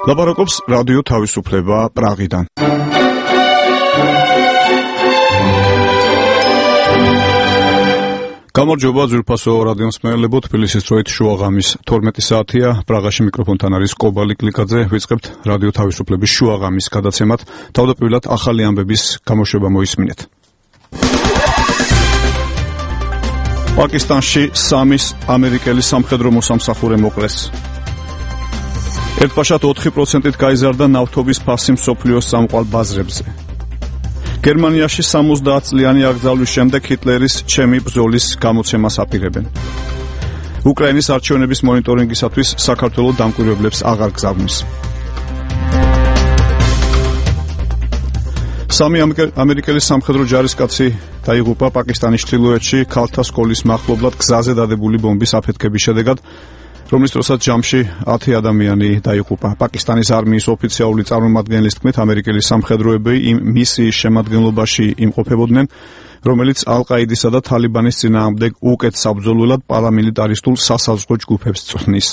ლაპარაკობს რადიო თავისუფლება პრაღიდან. გამარჯობა ძვირფასო რადიო მსმენელებო, თბილისის დროით შუაღამის 12 საათია. პრაღაში მიკროფონთან არის კობალი კლიკაძე. ვიწყებთ რადიო თავისუფლების შუაღამის გადაცემად. თავდაპირველად ახალი ამბების გამოშვება მოისმინეთ. პაკისტანში 3 ამერიკელი სამხედრო მოსამსახურე მოკლეს. ერთბაშად 4%-ით გაიზარდა ნავთობის ფასი მსოფლიოს წამყვან ბაზრებზე. გერმანიაში 70 წლიანი აკრძალვის შემდეგ ჰიტლერის ჩემი ბრძოლის გამოცემას აპირებენ. უკრაინის არჩევნების მონიტორინგისათვის საქართველოს დამკვირვებლებს აღარ გზავნის. 3 ამერიკელი სამხედრო ჯარისკაცი დაიღუპა პაკისტანის ჩრდილოეთში ქალთა სკოლის მახლობლად გზაზე დადებული ბომბის აფეთქების შედეგად, რომლის დროსაც ჯამში 10 ადამიანი დაიღუპა. პაკისტანის არმიის ოფიციალური წარმომადგენლის თქმით, ამერიკელი სამხედროები იმ მისიის შემადგენლობაში იმყოფებოდნენ, რომელიც ალ-ყაიდისა და თალიბანის წინააღმდეგ უკეთ საბრძოლველად პარამილიტარისტულ სასაზღვრო ჯგუფებს წვნის.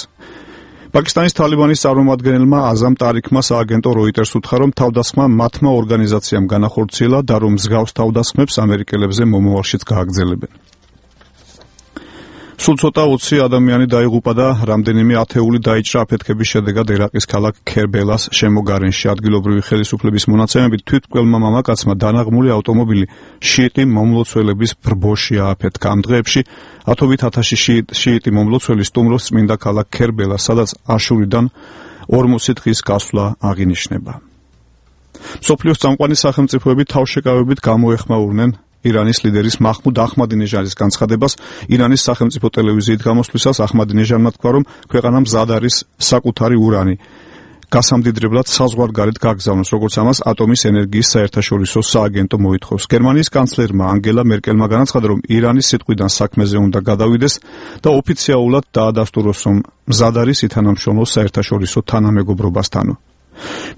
პაკისტანის თალიბანის წარმომადგენელმა აზამ ტარიქმა სააგენტო როიტერს უთხრა, რომ თავდასხმა მათმა ორგანიზაციამ განახორციელა და რომ მსგავს თავდასხმებს ამერიკელებზე მომავალშიც გააგრძელებენ. სულ ცოტა 20 ადამიანი დაიღუპა და რამდენიმე ათეული დაიჭრა აფეთქების შედეგად ერაყის ქალაქ ქერბელას შემოგარენში. ადგილობრივი ხელისუფლების მონაცემებით თვითმკვლელმა მამაკაცმა დანაღმული ავტომობილი შიიტი მომლოცველების ბრბოში ააფეთქა. ამ დღეებში ათობით ათასი შიიტი მომლოცველი სტუმრობს წმინდა ქალაქ ქერბელას, სადაც აშურიდან 40 დღის გასვლა აღინიშნება. მსოფლიოს წამყვანი სახელმწიფოები თავშეკავებით გამოეხმაურნენ ირანის ლიდერის მაჰმუდ აჰმადინეჟადის განცხადებას. ირანის სახელმწიფო ტელევიზიით გამოსვლისას აჰმადინეჟადმა თქვა, რომ ქვეყანამ მზად არის საკუთარი ურანი გასამდიდრებლად საზღვარგარეთ გაგზავნოს, როგორც ამას ატომის ენერგიის საერთაშორისო სააგენტო მოითხოვს. გერმანიის კანცლერმა ანგელა მერკელმა განაცხადა, რომ ირანის სიტყვიდან საქმეზე უნდა გადავიდეს და ოფიციალურად დაადასტუროს, რომ მზად არის ითანამშრომლოს საერთაშორისო თანამეგობრობასთან.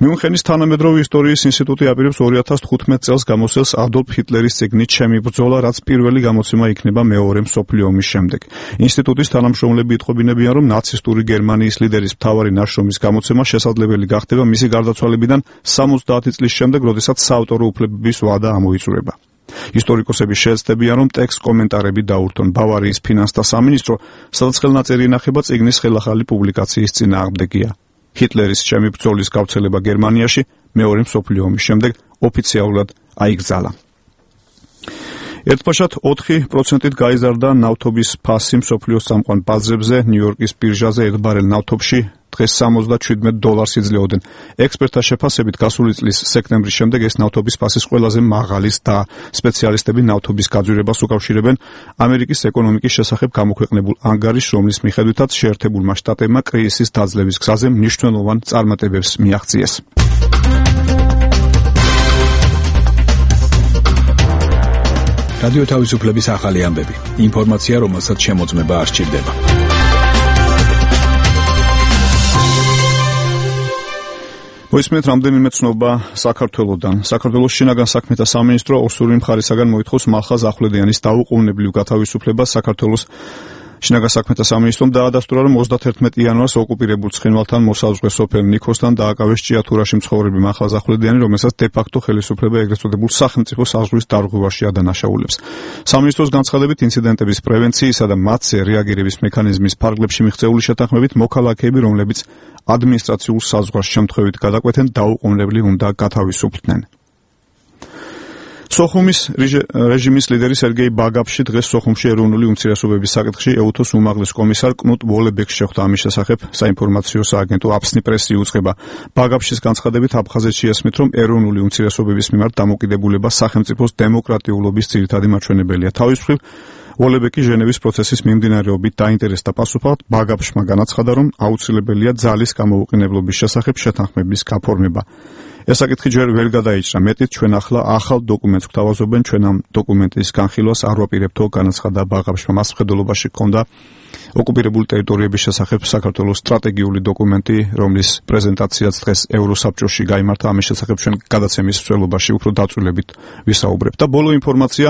მიუნხენის თანამედროვე ისტორიის ინსტიტუტი აპირებს 2015 წელს გამოსცემს ადოლფ ჰიტლერის წიგნით ჩემი ბრძოლა, რაც პირველი გამოცემა იქნება მეორე მსოფლიო ომის შემდეგ. ინსტიტუტის თანამშრომლები იტყობინებიან, რომ ნაცისტური გერმანიის ლიდერის მთავარი ნაშრომის გამოცემა შესაძლებელი გახდება მისი გარდაცვალებიდან 70 წლის შემდეგ, როდესაც საავტორო უფლებების ვადა ამოიწურება. ისტორიკოსები შეეცდებიან, რომ ტექსტ კომენტარები დაურთონ. ბავარიის ფინანსთა სამინისტრო, სადაც ხელნაწერი ინახება წიგნის ხელახალი პუბლიკაციის წინააღმდეგია. ჰიტლერის ჩემი ბრძოლის გავრცელება გერმანიაში მეორე მსოფლიო ომის შემდეგ ოფიციალურად აიგზალა. ერთბაშად 4%-ით გაიზარდა ნავთობის ფასი მსოფლიოს წამყვან ბაზრებზე. ნიუ-იორკის ბირჟაზე ერთ ბარელ ნავთობში დღეს $77 იძლეოდნენ. ექსპერტთა შეფასებით გასული წლის სექტემბრის შემდეგ ეს ნავთობის ფასის ყველაზე მაღალის და სპეციალისტები ნავთობის გაძვირებას უკავშირებენ ამერიკის ეკონომიკის შესახებ გამოქვეყნებულ ანგარიშს, რომლის მიხედვითაც შეერთებულმა შტატებმა კრიზისის დაძლევის გზაზე მნიშვნელოვან წარმატებებს მიაღწიეს. რადიო თავისუფლების ახალი ამბები. ინფორმაცია, რომელსაც შემოწმება არ სჭირდება. მოისმენთ რამდენიმე ცნობა საქართველოდან. საქართველოს შინაგან საქმეთა სამინისტრო ოსური მხარისაგან მოითხოვს მალხაზ ახვლედიანის დაუყოვნებლივ გათავისუფლებას. საქართველოს შინაგან საქმეთა სამინისტრომ დაადასტურა, რომ 31 იანვარს ოკუპირებულ ცხინვალთან მოსაზღვრე სოფელ ნიქოსთან დააკავეს ჭიათურაში მცხოვრები მალხაზ ახვლედიანი, რომელსაც დე-ფაქტო ხელისუფლება ეგრეთ წოდებულ სახელმწიფო საზღვრის დარღვევაში ადანაშაულებს. სამინისტროს განცხადებით, ინციდენტების პრევენციისა და მათზე რეაგირების მექანიზმის ფარგლებში მიღწეული შეთანხმებით მოქალაქეები, რომლებიც ადმინისტრაციულ საზღვარს შემთხვევით გადაკვეთენ, დაუყოვნებლივ უნდა გათავისუფლდნენ. სოხუმის რეჟიმის ლიდერი სერგეი ბაგაფში დღეს სოხუმში ეროვნული უმცირესობების საკითხში ეუთოს უმაღლეს კომისარ კნუტ ვოლებეკს შეხვდა. ამის შესახებ საინფორმაციო სააგენტო აფსნი პრესი უძღვება. ბაგაფშის განცხადებით აფხაზეთში ესმით, რომ ეროვნული უმცირესობების მიმართ დამოკიდებულება სახელმწიფოს დემოკრატიულობის ძირითადი მაჩვენებელია. თავის მხრივ ვოლებეკი ჟენევის პროცესის მიმდინარეობით დაინტერესდა პასუხად. ბაგაფშმა განაცხადა, რომ აუცილებელია ძალის გამოუყენებლობის შესახებ შეთანხმების გაფორმება. ეს საკითხი ჯერ ვერ გადაიჭრა. მეტიც ჩვენ ახლა ახალ დოკუმენტს გვთავაზობენ, ჩვენ ამ დოკუმენტის განხილვას არ ვაპირებთო, განაცხადა ბაღაფშმა. მას მხედველობაში ჰქონდა ოკუპირებული ტერიტორიების შესახებ საქართველოს სტრატეგიული დოკუმენტი, რომლის პრეზენტაციაც დღეს ევროსაბჭოში გაიმართა, ამის შესახებ ჩვენ გადაცემის მსვლელობაში უფრო დაწვრილებით ვისაუბრებთ. და ბოლო ინფორმაცია,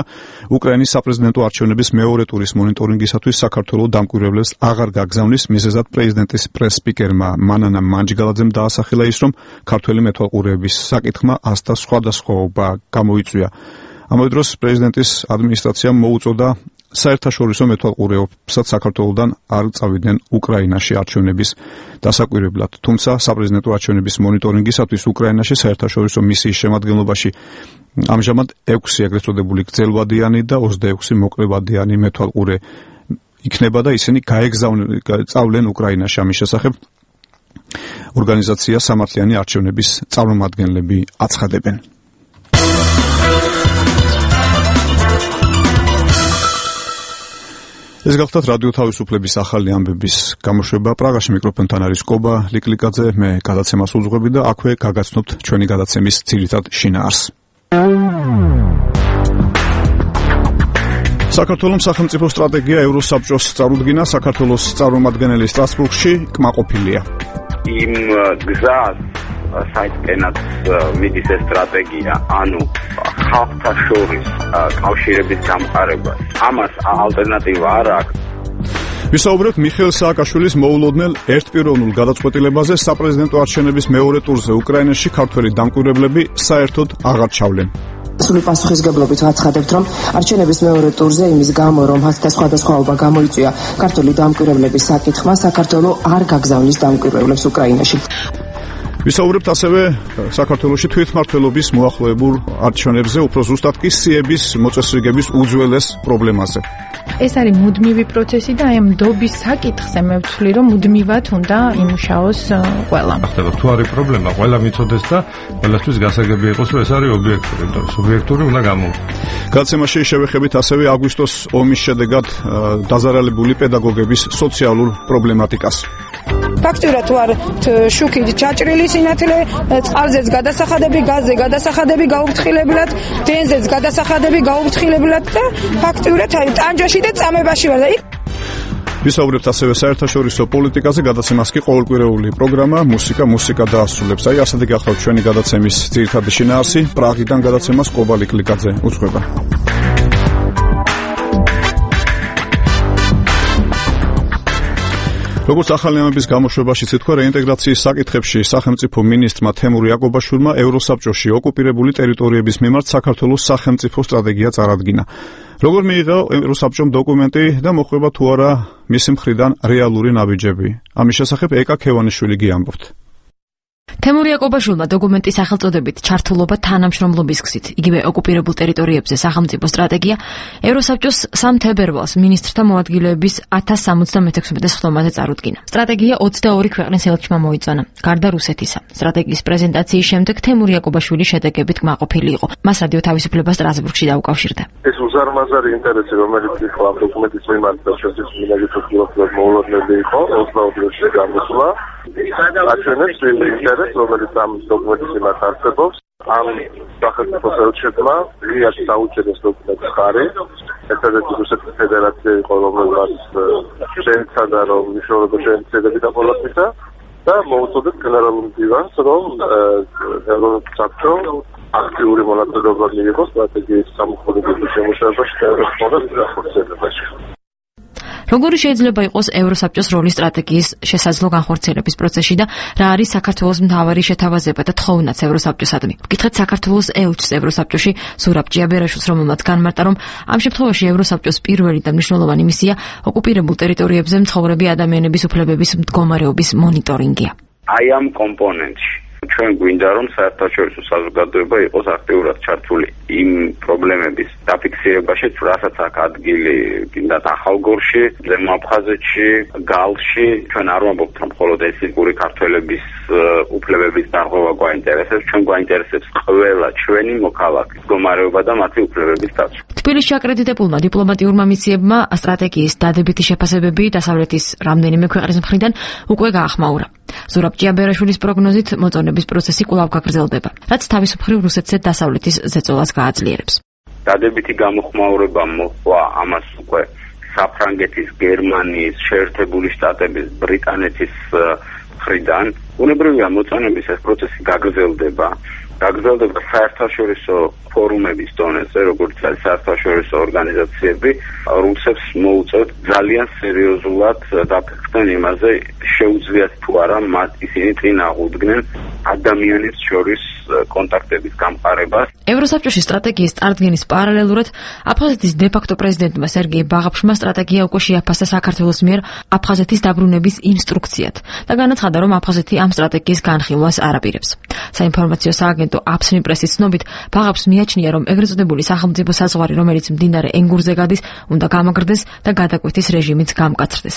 უკრაინის საპრეზიდენტო არჩევნების მეორე ტურის მონიტორინგისათვის საქართველოს დამკვირვებლებს აღარ გაგზავნის, მიზეზად პრეზიდენტის პრეს-სპიკერმა მანანა მანჯგალაძემ დაასახელა ის, რომ ქართველი მეთვალყურეების საკითხმა ასთა სხვადასხვაობა გამოიწვია. ამავე დროს პრეზიდენტის ადმინისტრაციამ მოუწოდა საერთაშორისო მეთვალყურეობსაც საქართველოსთან არ წავიდნენ უკრაინაში არჩევნების დასაკვირვებლად. თუმცა საპრეზიდენტო არჩევნების მონიტორინგისათვის უკრაინაში საერთაშორისო მისიის შემადგენლობაში ამჟამად 6 ეგრეთ წოდებული გრძელვადიანი და 26 მოკლევადიანი მეთვალყურე იქნება და ისინი წავლენ უკრაინაში. ამის შესახებ ორგანიზაცია სამართლიანი არჩევნების წარმომადგენლები აცხადებენ. ეს გახლდათ რადიო თავისუფლების ახალი ამბების გამოშვება. პრაღაში მიკროფონთან არის კობა ლიკლიკაძე, მე გადაცემას უძღვები და აქვე გაგაცნობთ ჩვენი გადაცემის ძირითად შინაარსს. საქართველოს სახელმწიფო სტრატეგია ევროსაბჭოს წარუდგინა, საქართველოს წარმომადგენელი სტრასბურგში კმაყოფილია. იმ გზას საერთოდ მიდის ეს სტრატეგია, ანუ ხალხთა შორის კავშირების გამყარებას. ამას ალტერნატივა არ აქვს. ვისაუბრებთ მიხეილ სააკაშვილის მოულოდნელ ერთპიროვნულ გადაწყვეტილებაზე საპრეზიდენტო არჩევნების მეორე ტურზე უკრაინაში ქართველი დამკვირვებლები საერთოდ აღარ ჩავლენ. სრული პასუხისგებლობით ვაცხადებთ, რომ არჩევნების მეორე ტურზე იმის გამო, რომ ასთა სხვადასხვაობა გამოიწვია ქართველი დამკვირვებლების საკითხმა, საქართველოს არ გაგზავნის დამკვირვებლებს უკრაინაში. ვისაუბრებთ ასევე საქართველოში თვითმმართველობის მოახლოებულ არჩევნებზე, უფრო ზუსტად კი სიების მოწესრიგების უძველეს პრობლემაზე. ეს არის მუდმივი პროცესი და აი ამ დობის საკითხზე მე ვთვლი, რომ მუდმივად უნდა იმუშაოს ყველა. ხდება თუ არის პრობლემა, ყველა მიცოდეს და ყველასთვის გასაგები იყოს, რომ ეს არის ობიექტური, და სუბიექტური უნდა გამოვიდეს. გადაცემაში შევეხებით ასევე აგვისტოს ომის შედეგად დაზარალებული პედაგოგების სოციალურ პრობლემატიკას. ფაქტურად თუ არ შუქით ჩაჭრილი სინათლე, წყალზეც გადასახადები, გაზზე გადასახადები გაუფრთხილებლად, დენზეც გადასახადები გაუფრთხილებლად და ფაქტურად აი ტანჯაში და წამებაში ვარ და იქ ვისაუბრებთ ასევე საერთაშორისო პოლიტიკაზე, გადაცემას კი ყოველკვირეული პროგრამა მუსიკა დაასრულებს. აი ასეთი გახლავთ ჩვენი გადაცემის ძირითადი შინაარსი. პრაღიდან გადაცემას კობა ლიკლიკაძე უძღვება. როგორც ახალი ამბების გამოშვებაში თქვა, რეინტეგრაციის საკითხებში სახელმწიფო მინისტრმა თემურ იაკობაშვილმა ევროსაბჭოში ოკუპირებული ტერიტორიების მიმართ საქართველოს სახელმწიფო სტრატეგია წარადგინა. როგორ მიიღო ევროსაბჭომ დოკუმენტი და მოხდება თუ არა მისი მხრიდან რეალური ნაბიჯები? ამის შესახებ ეკა ქევანიშვილი გიამბობთ. თემურ იაკობაშვილმა დოკუმენტის სახელწოდებით ჩართულობა თანამშრომლობის გზით, იგივე ოკუპირებულ ტერიტორიებზე სახელმწიფო სტრატეგია ევროსაბჭოს 3 თებერვალს მინისტრთა მოადგილეების 1076 ხდომაზე წარუდგინა. სტრატეგია 22 ქვეყნის ელჩმა მოიწონა, გარდა რუსეთისა. სტრატეგიის პრეზენტაციის შემდეგ თემურ იაკობაშვილი შედეგებით კმაყოფილი იყო. მას რადიო თავისუფლება სტრასბურგში დაუკავშირდა. ეს უზარმაზარი ინტერესი, რომელიც იყო ამ დოკუმენტის მიმართ და ჩვენთვის მინაგიტოს მოულოდნელი იყო, 22 დღეში გამოსულა. აჩვენებს ინტერესს, რომელიც ამ დოკუმენტის მიმართ არსებობს. ამ სახელმწიფო ელჩებმა ღიად დაუჭერეს დოკუმენტის ხარი. ერთადერთი რუსეთის ფედერაცია იყო, რომელმაც შეეცადა, რომ მიშოვება შეეცადები და პოლიტიკა და მოუწოდეთ გენერალურ მდივანს, რომ ევროსაბჭო აქტიური მონაწილეობა მიიღოს სტრატეგიის სამოქმედებო შემუშავებაში და ევროსაბჭოს განხორციელებაში. როგორი შეიძლება იყოს ევროსაბჭოს როლი სტრატეგიის შესაძლო განხორციელების პროცესში და რა არის საქართველოს მთავარი შეთავაზება და თხოვნაც ევროსაბჭოსადმი? ვკითხეთ საქართველოს ელჩს ევროსაბჭოში ზურაბ ჭიაბერაშვილს, რომელმაც განმარტა, რომ ამ შემთხვევაში ევროსაბჭოს პირველი და მნიშვნელოვანი მისია ოკუპირებულ ტერიტორიებზე მცხოვრები ადამიანების უფლებების მდგომარეობის მონიტორინგია. აი ამ კომპონენტში ჩვენ გვინდა, რომ საერთაშორისო საზოგადოება იყოს აქტიურად ჩართული იმ პრობლემების დაფიქსირებაში, რასაც აქ ადგილი კიდათ ახალგორში, ზემო აფხაზეთში, გალში. ჩვენ არ ვამბობთ, რომ მხოლოდ ეთნიკური ქართველების უფლებების დარღვევა გვაინტერესებს, ჩვენ გვაინტერესებს ყველა ჩვენი მოქალაქის მდგომარეობა და მათი უფლებების დაცვა. თბილისში აკრედიტებულმა დიპლომატიურმა მისიებმა სტრატეგიის დადებითი შეფასებები დასავლეთის რამდენიმე ქვეყნის მხრიდან უკვე გაახმაურა. ზურაბ ჭიაბერაშვილის პროგნოზით მოწონების პროცესი კვლავ გაგრძელდება, რაც თავის მხრივ რუსეთზე დასავლეთის ზეწოლას გააძლიერებს. დადებითი გამოხმაურება მოყვა, ამას უკვე საფრანგეთის, გერმანიის, შეერთებული შტატების, ბრიტანეთის მხრიდან. უნებრივია მოწონების ეს პროცესი გაგრძელდება საერთაშორისო ფორუმების დონეზე, როგორც არის საერთაშორისო ორგანიზაციები, რუსებს მოუწევთ ძალიან სერიოზულად დაფიქრდნენ იმაზე, შეუძლიათ თუ არა მათ ისინი წინ აღუდგნენ ადამიანებს შორის კონტაქტების გამყარებას. ევროსაბჭოში სტრატეგიის წარდგენის პარალელურად აფხაზეთის დე-ფაქტო პრეზიდენტმა სერგეი ბაღაფშმა სტრატეგია უკვე შეაფასა საქართველოს მიერ აფხაზეთის დაბრუნების ინსტრუქციად და განაცხადა, რომ აფხაზეთი ამ სტრატეგიის განხილვას არ აპირებს. საინფორმაციო სააგენტო აფსნი პრესის ცნობით, ბაღაფშს მიაჩნია, რომ ეგრეთ წოდებული სახელმწიფო საზღვარი, რომელიც მდინარე ენგურზე გადის, უნდა გამაგრდეს და გადაკვეთის რეჟიმიც გამკაცრდეს.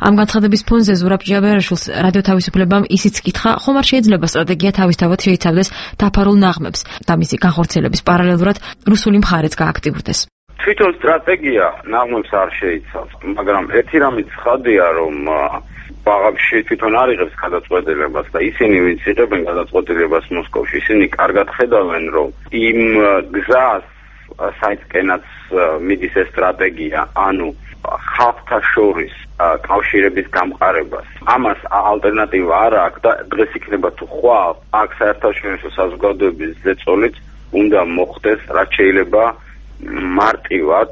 ამ განცხადების ფონზე ზურაბ ჭიაბერაშვილს რადიო თავისუფლებამ ისიც კითხა, ხომ არ შეიძლება სტრატეგია თავისთავად შეიცავდეს დაფარულ ნაღმებს და მისი განხორციელების პარალელურად რუსული მხარეც გააქტიურდეს. თვითონ სტრატეგია ნაღმებს არ შეიცავს, მაგრამ ერთი რამე ცხადია, რომ ბაღაფში თვითონ არ იღებს გადაწყვეტილებას და ისინი ვინც იღებენ გადაწყვეტილებას მოსკოვში, ისინი კარგად ხედავენ, რომ იმ გზას საერთკენაც მიდის ეს სტრატეგია, ანუ ხალხთა შორის კავშირების გამყარებას. ამას ალტერნატივა არ აქვს და დღეს იქნება თუ ხვალ აქ საერთაშორისო საზოგადოების ზეწოლით უნდა მოხდეს, რაც შეიძლება მარტივად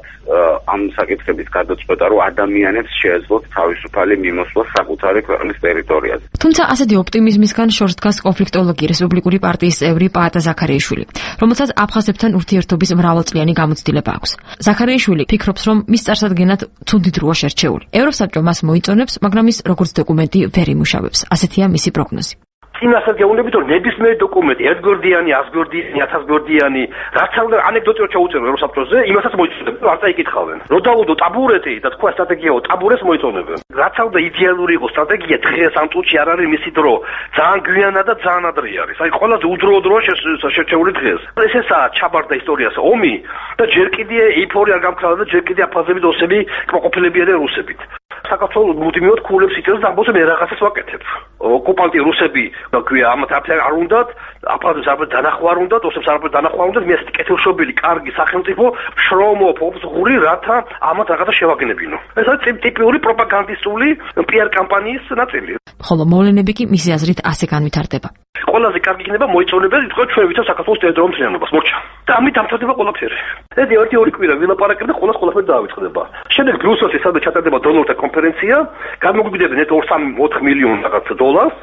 ამ საკითხების გადაწყვეტა, რომ ადამიანებს შეეძლოთ თავისუფალი მიმოსვლა საკუთარი ქვეყნის ტერიტორიაზე. თუმცა ასეთი ოპტიმიზმისგან შორს დგას კონფლიქტოლოგი რესპუბლიკური პარტიის წევრი პაატა ზაქარიაშვილი, რომელსაც აფხაზებთან ურთიერთობის მრავალწლიანი გამოცდილება აქვს. ზაქარიაშვილი ფიქრობს, რომ მის წარსადგენად ცუდი დროა შერჩეული. ევროსაბჭო მას მოიწონებს, მაგრამ ის როგორც დოკუმენტი ვერ იმუშავებს. ასეთია მისი პროგნოზი. წინასწარ გეუბნებით, რომ ნებისმიერი დოკუმენტი, ერთგვერდიანი, 100გვერდიანი, 1000გვერდიანი, რაც არ ანეკდოტიო ჩაუწერო ევროსაბჭოზე, იმასაც მოიწონებენ, არ წაიკითხავენ. რო დაუდო ტაბურეტი და თქვა სტრატეგიაო, ტაბურეს მოიწონებენ. რაც არ და იდეალური იყო სტრატეგია, დღეს ამ წუთში არ არის მისი დრო. ძალიან გვიანა და ძალიან ადრე არის. აი ყველაზე უდროო დროა შერჩეული დღეს. ესაა ჩაბარდა ისტორიას ომი და ჯერ კიდე ეიფორია არ გამქრალა და ჯერ კიდე აფხაზები და ოსები კმაყოფილებიან რუსებით. საქართველოს მუდმივად ქულებს იწევს და ამბობს მე რაღაცას ვაკეთებ. ოკუპანტი რუსები ქვია ამათ არ უნდათ, აფხაზებს არ დანახვა არ უნდათ, ოსებს არ დანახვა უნდათ, მე ასეთი კეთილშობილი, კარგი სახელმწიფო შრომო ფობზღური, რათა ამათ რაღაცა შევაგნებინო. ეს არის ტიპიური პროპაგანდისტული პიარ კამპანიის ნაწილი. ხოლო მოვლენები კი მისი აზრით ასე განვითარდება. ყველაზე კარგი იქნება მოიწონებენ, თქო ჩვენ ვიცავ საქართველოს ტერიტორიულ მთლიანობას, მორჩა. და ამით დამთავრდება ყველაფერი. ეს ერთი კვირა ვილაპარაკებ და ყველაფერი დაავიწყდება. შემდეგ ბრიუსელში სადაც ჩატარდება დონორთა კონფერენცია, გამოგვიდებენ 2-3-4 მილიონი რაღაც დოლარს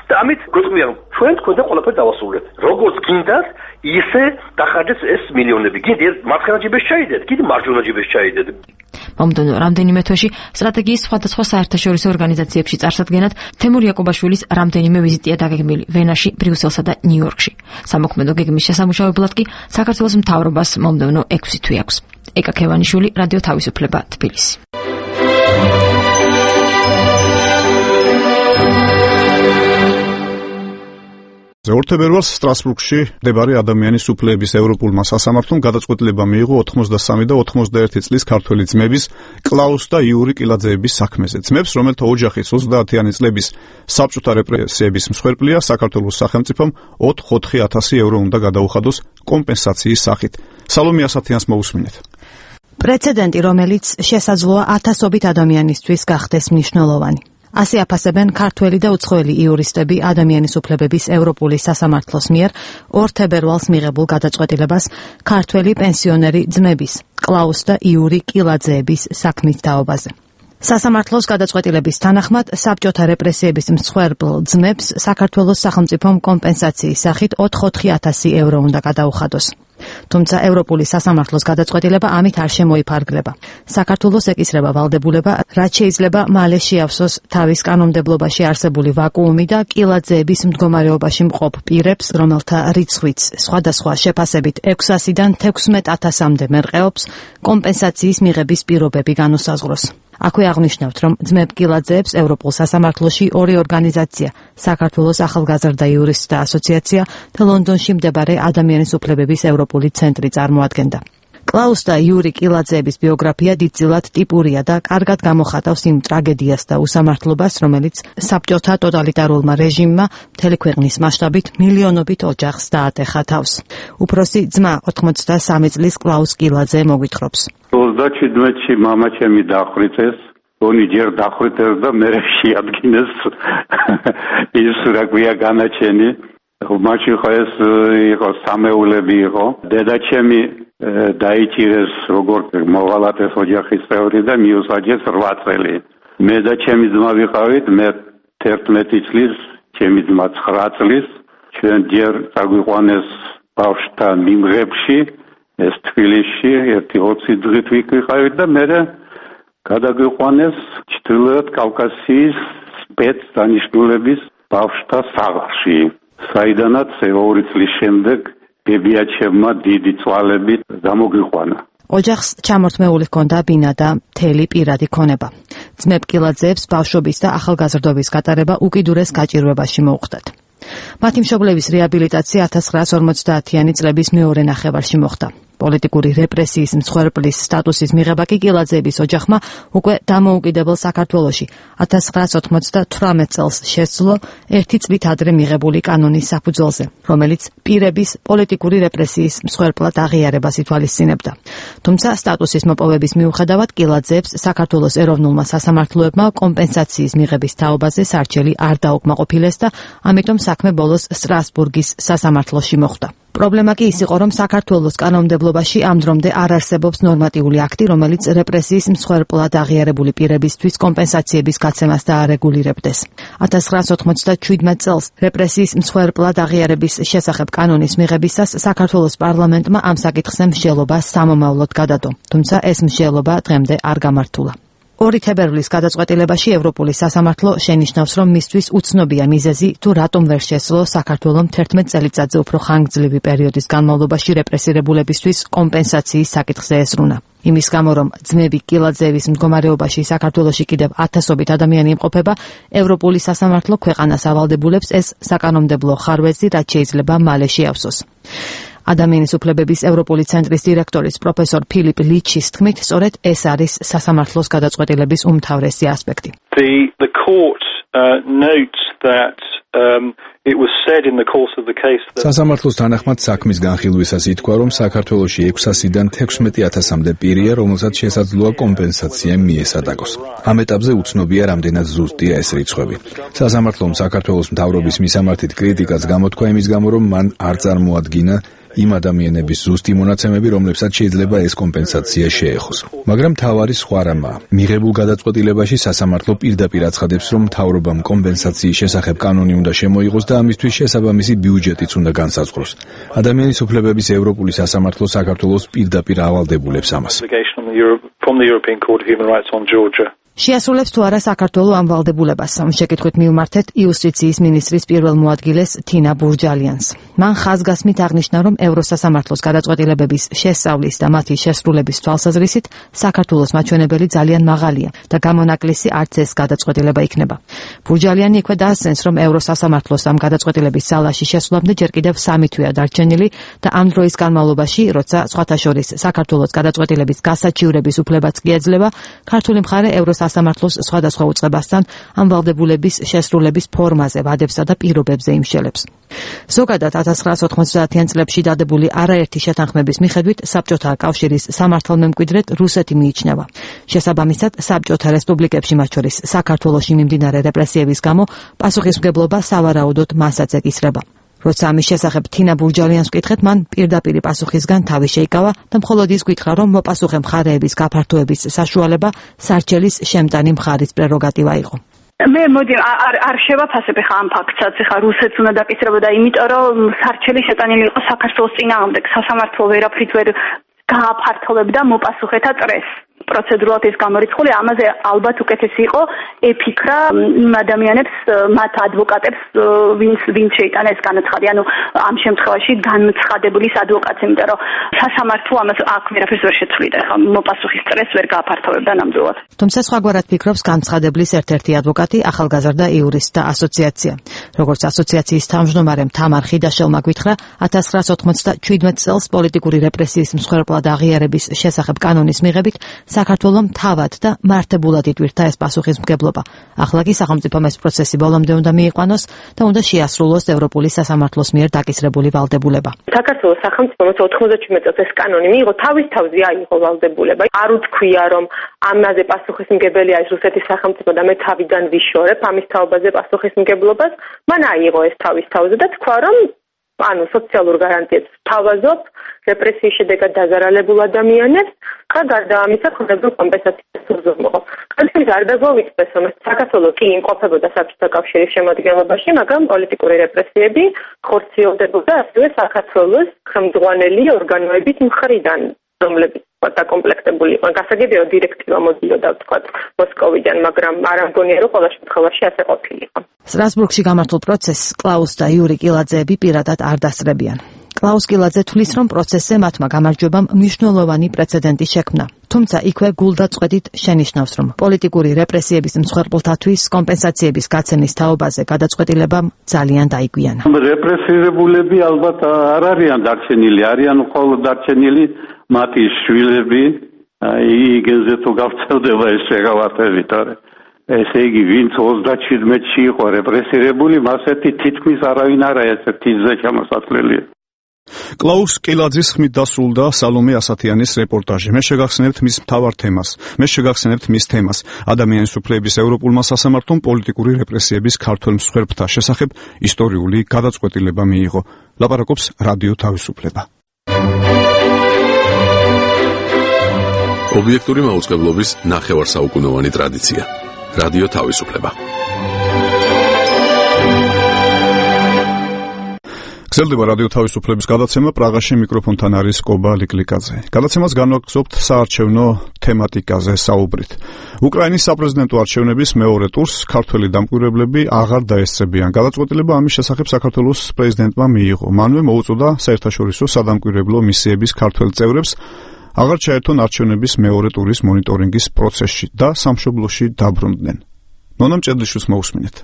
და ამით გვეტყვიან ჩვენ თქვენ და ყველაფერი დავასრულეთ. როგორც გინდათ, ისე დახარჯეთ ეს მილიონები. გინდათ მარცხენა ჯიბეს ჩაიდეთ, კიდე მარჯვენა ჯიბეს ჩაიდეთ. მომდევნო რამდენიმე თვეში სტრატეგიის სხვადასხვა საერთაშორისო ორგანიზაციებში წარსადგენად თემურ იაკობაშვილის რამდენიმე ვიზიტია დაგეგმილი ვენაში, ბრიუსელსა და ნიუ-იორკში. სამოქმედო გეგმის შესამუშავებლად კი საქართველოს მთავრობას მომდევნო 6 თვე აქვს. ეკა ქევანიშვილი, რადიო თავისუფლება, თბილისი. ორთებერვალს სტრასბურგში მდებარე ადამიანის უფლებების ევროპულმა სასამართლომ გადაწყვეტილება მიიღო 83 და 91 წლის ქართველი ძმების კლაუს და იური კილაძეების საქმეზე. ძმებს, რომელთა ოჯახის 30-იანი წლების საბჭოთა რეპრესიების მსხვერპლია, საქართველოს სახელმწიფომ 4,000 евро უნდა გადაუხადოს კომპენსაციის სახით. სალომე ასათიანს მოусმინეთ. პრეცედენტი, რომელიც შესაძლოა ათასობით ადამიანისთვის გახდეს მნიშვნელოვანი. ასე აფასებენ ქართველი და უცხოელი იურისტები ადამიანის უფლებების ევროპული სასამართლოს მიერ 2 თებერვალს მიღებულ გადაწყვეტილებას ქართველი პენსიონერი ძმების კლაუს და იური კილაძეების საქმის თაობაზე. სასამართლოს გადაწყვეტილების თანახმად საბჭოთა რეპრესიების მსხვერპლ ძმებს საქართველოს სახელმწიფომ კომპენსაციის სახით 4,000 евро უნდა გადაუხადოს. თუმცა ევროპული სასამართლოს გადაწყვეტილება ამით არ შემოიფარგლება. საქართველოს ეკისრება ვალდებულება, რაც შეიძლება მალე შეავსოს თავის კანონმდებლობაში არსებული ვაკუუმი და კილაძეების მდგომარეობაში მყოფ პირებს, რომელთა რიცხვიც სხვადასხვა შეფასებით 600-დან 16,000-მდე მერყეობს, კომპენსაციის მიღების პირობები განუსაზღვროს. აქვე აღნიშნავთ, რომ ძმებ კილაძეებს ევროპულ სასამართლოში 2 ორგანიზაცია, საქართველოს ახალგაზრდა იურისტთა ასოციაცია და ლონდონში მდებარე ადამიანის უფლებების ევროპული ცენტრი წარმოადგენდა. კლაუს და იური კილაძეების ბიოგრაფია დიდწილად ტიპურია და კარგად გამოხატავს იმ ტრაგედიას და უსამართლობას, რომელიც საბჭოთა ტოტალიტარულმა რეჟიმმა მთელი ქვეყნის მასშტაბით მილიონობით ოჯახს დაატეხა თავს. უფროსი ძმა 83 წლის კლაუს კილაძე მოგვითხრობს. 27-ში მამა ჩემი დახრიტეს, ონი ჯერ დახრიტეს და მე შეადგინეს ის რა ქვია განაჩენი. მაშინ ხო ეს იყო სამეულები იყო. დედა ჩემი დაიჭირეს როგორც მოვალატეს ოჯახის წევრი და მიუსაჯეს 8 წელი. მე და ჩემი ძმა ვიყავით, მე 11 წლის, ჩემი ძმა 9 წლის. ჩვენ ჯერ წაგვიყვანეს ბავშვთა მიმღებში, ეს თბილისში, 1-20 დღით ვიყავით და მე გადაგვიყვანეს ჩრდილოეთ კავკასიის სპეცდანიშნულების ბავშვთა სახლში. საიდანაც 2 წლის შემდეგ ბებიაჩემმა დიდი წვალებით გამოგიყვანა. ოჯახს ჩამორთმეული ჰქონდა ბინა და მთელი პირადი ქონება. ძმებ კილაძეებს ბავშვობის და ახალგაზრდობის გატარება უკიდურეს გაჭირვებაში მოუხდათ. მათი მშობლების რეაბილიტაცია 1950-იანი წლების მეორე ნახევარში მოხდა. პოლიტიკური რეპრესიის მსხვერპლის სტატუსის მიღება კი კილაძეების ოჯახმა უკვე დამოუკიდებელ საქართველოში 1998 წელს შესძლო 1 წლით ადრე მიღებული კანონის საფუძველზე, რომელიც პირების პოლიტიკური რეპრესიის მსხვერპლად აღიარებას ითვალისწინებდა. თუმცა სტატუსის მოპოვების მიუხედავად კილაძეებს საქართველოს ეროვნულმა სასამართლოებმა კომპენსაციის მიღების თაობაზე სარჩელი არ დაუკმაყოფილეს და ამიტომ საქმე ბოლოს სტრასბურგის სასამართლოში მოხვდა. პრობლემა კი ის იყო, რომ საქართველოს კანონმდებლობაში ამ დრომდე არ არსებობს ნორმატიული აქტი, რომელიც რეპრესიის მსხვერპლად აღიარებული პირებისთვის კომპენსაციების გაცემას დაარეგულირებდეს. 1997 წელს რეპრესიის მსხვერპლად აღიარების შესახებ კანონის მიღებისას საქართველოს პარლამენტმა ამ საკითხზე მსჯელობა სამომავლოდ გადადო, თუმცა ეს მსჯელობა დღემდე არ გამართულა. 2 თებერვლის გადაწყვეტილებაში ევროპული სასამართლო შენიშნავს, რომ მისთვის უცნობია მიზეზი, თუ რატომ ვერ შესძლო საქართველოს 11 წელიწადზე უფრო ხანგრძლივი პერიოდის განმავლობაში რეპრესირებულებისთვის კომპენსაციის საკითხზე ესრულა. იმის გამო, რომ ძმები კილაძეების მდგომარეობაში საქართველოში კიდევ 1000-ობით ადამიანი იმყოფება, ევროპული სასამართლო ქვეყანას ავალდებულებს ეს საკანონმდებლო ხარვეზი, რაც შეიძლება მალე შეავსოს. ადამიანის უფლებების ევროპული ცენტრის დირექტორის პროფესორ ფილიპ ლიჩის თქმით, სწორედ ეს არის სასამართლოს გადაწყვეტილების უმთავრესი ასპექტი. The court notes that it was said in the course of the case that სასამართლოს თანახმად საქმის განხილვისას ითქვა, რომ საქართველოში 600-დან 16000-მდე პირია, რომელსაც შესაძლოა კომპენსაცია მიესადაგოს. ამ ეტაპზე უცნობია, რამდენად ზუსტია ეს რიცხვები. სასამართლომ საქართველოს მთავრობის მისამართით კრიტიკას გამოთქვა იმის გამო, რომ მან არ წარმოადგინა იმ ადამიანების ზუსტი მონაცემები, რომლებსაც შეიძლება ეს კომპენსაცია შეეხოს. მაგრამ მთავარი სხვა რამაა. მიღებულ გადაწყვეტილებაში სასამართლო პირდაპირ აცხადებს, რომ მთავრობამ კომპენსაციის შესახებ კანონი უნდა შემოიღოს და ამისთვის შესაბამისი ბიუჯეტიც უნდა განსაზღვროს. ადამიანის უფლებების ევროპული სასამართლო საქართველოს პირდაპირ ავალდებულებს ამას. შეასრულებს თუ არა საქართველო ამ ვალდებულებას. შეკითხვით მივმართეთ იუსტიციის მინისტრის პირველ მოადგილეს თინა ბურჯალიანს. მან ხაზგასმით აღნიშნა, რომ ევროსასამართლოს გადაწყვეტილებების შესწავლის და მათი შესრულების თვალსაზრისით საქართველოს მაჩვენებელი ძალიან მაღალია და გამონაკლისი არც ეს გადაწყვეტილება იქნება. ბურჯალიანი იქვე დაასცენს, რომ ევროსასამართლოს ამ გადაწყვეტილების სალაში შესვლამდე ჯერ კიდევ 3 თვეა დარჩენილი და ამ დროის განმავლობაში, როცა სხვათა შორის საქართველოს გადაწყვეტილების გასაჩივრების უფლებაც კი ეძლევა, ქართული მხარე სასამართლოს სხვადასხვა უწყებასთან ამ ვალდებულების შესრულების ფორმაზე, ვადებსა და პირობებზე იმშელებს. ზოგადად 1990-იან წლებში დადებული არაერთი შეთანხმების მიხედვით საბჭოთა კავშირის სამართალმემკვიდრედ რუსეთი მიიჩნევა. შესაბამისად, საბჭოთა რესპუბლიკებში, მათ შორის საქართველოში მიმდინარე რეპრესიების გამო, პასუხისმგებლობა სავარაუდოდ მასაც ეკისრება. როცა ამის შესახებ თინა ბურჯალიანს ვკითხეთ, მან პირდაპირ პასუხისგან თავი შეიკავა და მხოლოდ ის გითხრა, რომ მოპასუხე მხარეების გაფართოების საშუალება სარჩელის შემტანი მხარის პრეროგატივა იყო. მე მოდი არ შევაფასებ ხა ამ ფაქტსაც, ხა რუსეთს უნდა დაკისრებოდა, იმიტომ რომ სარჩელი შეტანილი იყო საქართველოს წინააღმდეგ, სასამართლო ვერაფრით ვერ გააფართოვებდა მოპასუხეთა წრეს. პროცედურულად ეს გამორიცხული, ამაზე ალბათ უკეთესი იყო ეფიქრა იმ ადამიანებს, მათ ადვოკატებს, ვინც შეიტანა ეს განაცხადი, ანუ ამ შემთხვევაში განცხადებულის ადვოკატს, იმიტომ რომ სასამართლო ამას აქ ვერაფერს ვერ შეცვლიდა, ხა მოპასუხის წრეს ვერ გააფართოვებდა ნამდვილად. თუმცა სხვაგვარად ფიქრობს განცხადებლის ერთ-ერთი ადვოკატი, ახალგაზრდა იურისტთა ასოციაცია. როგორც ასოციაციის თავმჯდომარემ თამარ ხიდაშელმა გითხრა, 1997 წელს პოლიტიკური რეპრესიის მსხვერპლად აღიარების შესახებ კანონის მიღებით საქართველომ თავად და მართებულად იტვირთა ეს პასუხისმგებლობა. ახლა კი სახელმწიფომ ეს პროცესი ბოლომდე უნდა მიიყვანოს და უნდა შეასრულოს ევროპული სასამართლოს მიერ დაკისრებული ვალდებულება. საქართველოს სახელმწიფომ 97 წელს ეს კანონი მიიღო, თავის თავზე აიღო ვალდებულება. არ უთქვია, რომ ამაზე პასუხისმგებელია ის რუსეთის სახელმწიფო და მე თავიდან ვიშორებ ამის თაობაზე პასუხისმგებლობას. მან აიღო ეს თავის თავზე და თქვა, რომ სოციალურ გარანტიებს თავაზობ რეპრესიის შედეგად დაზარალებულ ადამიანებს და გარდა ამისა ხდებოდა კომპენსაციის უზრუნველყოფა. კანონით არ დაგვაუწყდეს, რომ საქართველო კი იმყოფებოდა საბჭოთა კავშირის შემადგენლობაში, მაგრამ პოლიტიკური რეპრესიები ხორციელდებოდა ასევე საქართველოს ხელმძღვანელი ორგანოების მხრიდან, რომლებიც დაკომპლექტებული იყო. გასაგებია დირექტივა მოდიოდა თქვა მოსკოვიდან, მაგრამ არ ამგონია რომ ყველა შემთხვევაში ასე ყოფილიყო. სტრასბურგში გამართულ პროცესს კლაუს და იური კილაძეები პირადად არ დასწრებიან. კლაუს კილაძე თვლის, რომ პროცესზე მათმა გამარჯვებამ მნიშვნელოვანი პრეცედენტი შექმნა. თუმცა იქვე გულდაწყვეტით შენიშნავს, რომ პოლიტიკური რეპრესიების მსხვერპლთათვის კომპენსაციების გაცემის თაობაზე გადაწყვეტილებამ ძალიან დაიგვიანა. რეპრესირებულები ალბათ არ არიან დარჩენილი, არიან მხოლოდ დარჩენილი მათი შვილები, იგენზე თუ გავწევდება ეს შეღავათები, თორე ესე იგი, ვინც 37-ში იყო რეპრესირებული, მასეთი თითქმის არავინ არა ესეთი ზე ჩამოსახლელია. კლაუს კილაძის ხმით დასრულდა სალომე ასათიანის რეპორტაჟი. მე შეგახსენებთ მის მთავარ თემას. ადამიანის უფლებების ევროპულმა სასამართლომ პოლიტიკური რეპრესიების ქართველ მსხვერპლთა შესახებ ისტორიული გადაწყვეტილება მიიღო. ლაპარაკობს რადიო თავისუფლება. ობიექტური მაუწყებლობის ნახევარსაუკუნოვანი ტრადიცია. რადიო თავისუფლება. გრძელდება რადიო თავისუფლების გადაცემა. პრაღაში მიკროფონთან არის კობა ლიკლიკაძე. გადაცემას განვაგრძობთ საარჩევნო თემატიკაზე საუბრით. უკრაინის საპრეზიდენტო არჩევნების მეორე ტურს ქართველი დამკვირვებლები აღარ დაესწრებიან. გადაწყვეტილება ამის შესახებ საქართველოს პრეზიდენტმა მიიღო. მანვე მოუწოდა საერთაშორისო სადამკვირვებლო მისიების ქართველ წევრებს აღარ ჩაერთონ არჩევნების მეორე ტურის მონიტორინგის პროცესში და სამშობლოში დაბრუნდნენ. ნონა მჭედლიშვილს მოусმინეთ.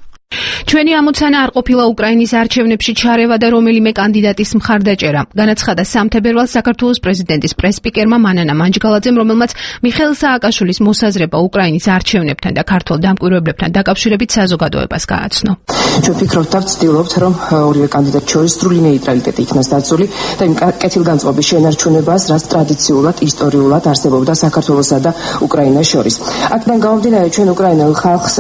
ჩვენი ამოცანა არ ყოფილა უკრაინის არჩევნებში ჩარევა და რომელიმე კანდიდატის მხარდაჭერა. განაცხადა სამთებერვალს საქართველოს პრეზიდენტის პრესსპიკერმა მანანა მანჯგალაძემ, რომელმაც მიხეილ სააკაშვილის მოსაზრება უკრაინის არჩევნებთან და ქართველ დამკვირვებლებთან დაკავშირებით საზოგადოებას გააცნო. ჩვენ ვფიქრობთ და ვცდილობთ, რომ ორივე კანდიდატ შორის სრული ნეიტრალიტეტი იქნას დაცული და იმ კეთილგანწყობის შენარჩუნებას, რაც ტრადიციულად, ისტორიულად არსებობდა საქართველოსა და უკრაინას შორის. აქედან გამომდინარე, ჩვენ უკრაინელ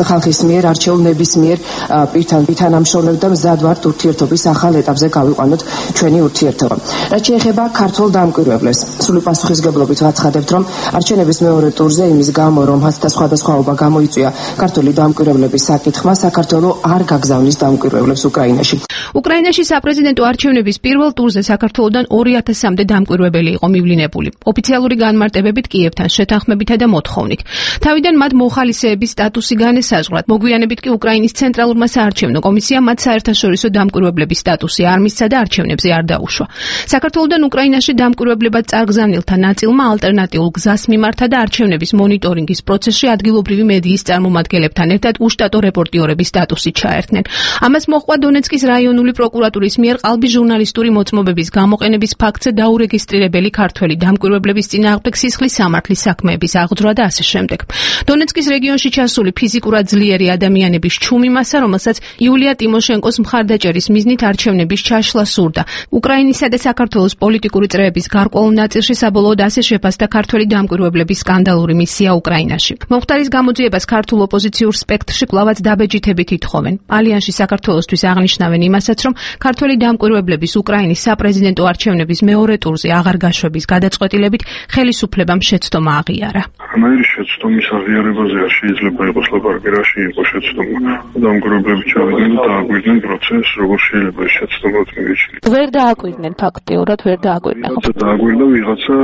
ხალხის მიერ არჩეულ ნებისმიერ პირთან ვითანამშრომლებთ და მზად ვართ ურთიერთობის ახალ ეტაპზე გავიყვანოთ ჩვენი ურთიერთობა. რაც შეეხება ქართულ დამკვირვებლებს, სრული პასუხისგებლობით ვაცხადებთ, რომ არჩევნების მეორე ტურზე იმის გამო, რომ ჰასთა სხვადასხვაობა გამოიწვია ქართული დამკვირვებლების საკითხმა, საქართველო არ გაგზავნის დამკვირვებლებს უკრაინაში. უკრაინაში საპრეზიდენტო არჩევნების პირველ ტურზე საქართველოდან 2000-მდე დამკვირვებელი იყო მივლინებული. ოფიციალური განმარტებებით კიევთან შეთანხმებითა და მოთხოვნით. თავიდან მათ მოხალისეების სტატუსი განესაზღვრათ. მოგვიანებით კი უკრაინის ცენტრალურმა საარჩევნო კომისიამ მათ საერთაშორისო დამკვირვებლების სტატუსი არ მისცა და არჩევნებზე არ დაუშვა. საქართველოდან უკრაინაში დამკვირვებლებად წარგზავნილთა ნაწილმა ალტერნატიულ გზას მიმართა და არჩევნების მონიტორინგის პროცესში ადგილობრივი მედიის წარმომადგენლებთან ერთად უშტატო რეპორტიორების სტატუსი ჩაერთნენ. ამას მოჰყვა დონეცკის რაიონული პროკურატურის მიერ ყალბი ჟურნალისტური მოწმობების გამოყენების ფაქტზე დაურეგისტრირებელი ქართველი დამკვირვებლების წინააღმდეგ სისხლის სამართლის საქმეების აღძვრა და ასე შემდეგ. დონეცკის რეგიონში ჩასული ფიზიკურად ძლიერი ადამიანების ჩუმი მასა, რომელსაც იულია ტიმოშენკოს მხარდაჭერის მიზნით არჩევნების ჩაშლა სურდა. უკრაინისა და საქართველოს პოლიტიკური წრეების გარკვეულ ნაწილში საბოლოოდ ასე შეფასდა ქართველი დამკვირვებლების სკანდალური მისია უკრაინაში. მომხდარის გამოძიებას ქართულ ოპოზიციურ სპექტრში კვლავაც დაბეჯითებით ითხოვენ. ალიანსი საქართველოსთვის აღნიშნავენ იმასაც, რომ ქართველი დამკვირვებლების უკრაინის საპრეზიდენტო არჩევნების მეორე ტურზე აღარ გაშვების გადაწყვეტილებით ხელისუფლებამ შეცდომა აღიარა. ამერი შეცდომის აღიარებაზე არ შეიძლება იყოს ლაპარაკი, რაში იყო შეცდომა. დამკვირვებლები ჩავიდნენ და დააკვირდნენ პროცესს, როგორ შეიძლება ეს შეცდომა მივიჩნიოთ. ვერ დააკვირდნენ ფაქტიურად, ვერ დააკვირდნენ. დააკვირდა ვიღაცა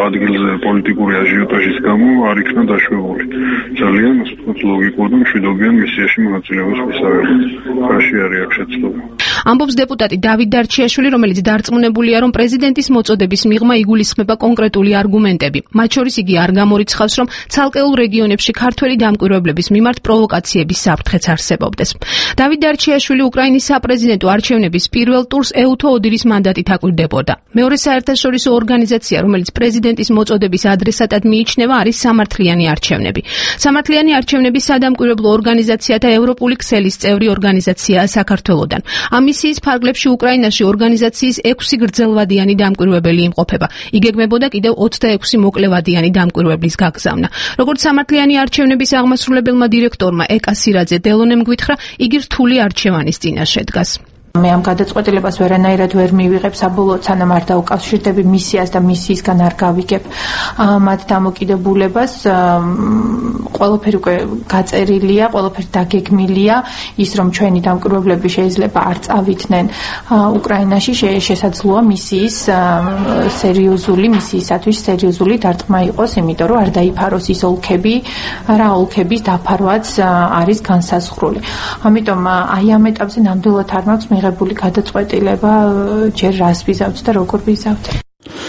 ადგილზე პოლიტიკური აჟიოტაჟის გამო არ იქნა დაშვებული. ძალიან ასე ვთქვათ ლოგიკურ და მშვიდობიან მისიაში მონაწილეობის მისაღებად. რაში არის აქ შეცდომა? ამბობს დეპუტატი დავით დარჩიაშვილი, რომელიც დარწმუნებულია, რომ პრეზიდენტის მოწოდების მიღმა იგულისხმება კონკრეტული არგუმენტები. მათ შორის იგი არ გამორიცხავს, რომ ცალკეულ რეგიონებში ქართველი დამკვირვებლების მიმართ პროვოკაციების საფრთხეც არსებობდეს. დავით დარჩიაშვილი უკრაინის საპრეზიდენტო არჩევნების პირველ ტურს ეუთო ოდირის მანდატით აკვირდებოდა. მეორე საერთაშორისო ორგანიზაცია, რომელიც პრეზიდენტის მოწოდების ადრესატად მიიჩნევა, არის სამართლიანი არჩევნები. სამართლიანი არჩევნების სადამკვირვებლო ორგანიზაცია და ევროპული ქსელის წევრი ორგანიზაციაა საქართველოდან. ამ მისიის ფარგლებში უკრაინაში ორგანიზაციის 6 გრძელვადიანი დამკვირვებელი იმყოფება. იგეგმებოდა კიდევ 26 მოკლევადიანი დამკვირვებლის გაგზავნა. როგორც სამართლიანი არჩევნების აღმასრულებელმა დირექტორმა ეკა სირაძე დელონემ გვითხრა, იგი რთული არჩევანის წინაშე დგას. მე ამ გადაწყვეტილებას ვერანაირად ვერ მივიღებ, საბოლოოდ სანამ არ დავუკავშირდები მისიას და მისიისგან არ გავიგებ მათ დამოკიდებულებას. ყველაფერი უკვე გაწერილია, ყველაფერი დაგეგმილია, ის რომ ჩვენი დამკვირვებლები შეიძლება არ წავითნენ უკრაინაში, შესაძლოა მისიისათვის სერიოზული დარტყმა იყოს, იმიტომ რომ არ დაიფაროს ის ოლქები, რა ოლქების დაფარვაც არის განსაზღვრული. ამიტომ აი ამ ეტაპზე ნამდვილად არ მაქვს მიღებული გადაწყვეტილება, ჯერ რას ვიზავთ და როგორ ვიზავთ.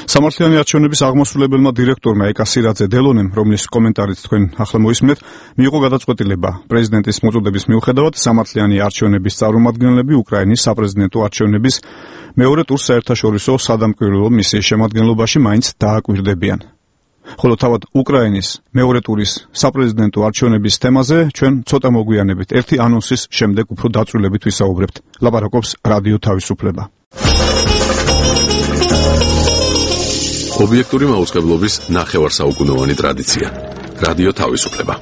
სამართლიანი არჩევნების აღმასრულებელმა დირექტორმა ეკა სირაძე დელონემ, რომლის კომენტარით თქვენ ახლა მოისმენთ, მიიღო გადაწყვეტილება პრეზიდენტის მოწოდების მიუხედავად სამართლიანი არჩევნების წარმომადგენლები უკრაინის საპრეზიდენტო არჩევნების მეორე ტურს საერთაშორისო სადამკვირვებლო მისიის შემადგენლობაში მაინც დააკვირდებიან. ხოლო თავად უკრაინის მეორე ტურის საპრეზიდენტო არჩევნების თემაზე ჩვენ ცოტა მოგვიანებით ერთი ანონსის შემდეგ უფრო დაწვრილებით ვისაუბრებთ. ლაპარაკობს რადიო თავისუფლება. ობიექტური მაუწყებლობის ნახევარსაუკუნოვანი ტრადიცია. რადიო თავისუფლება.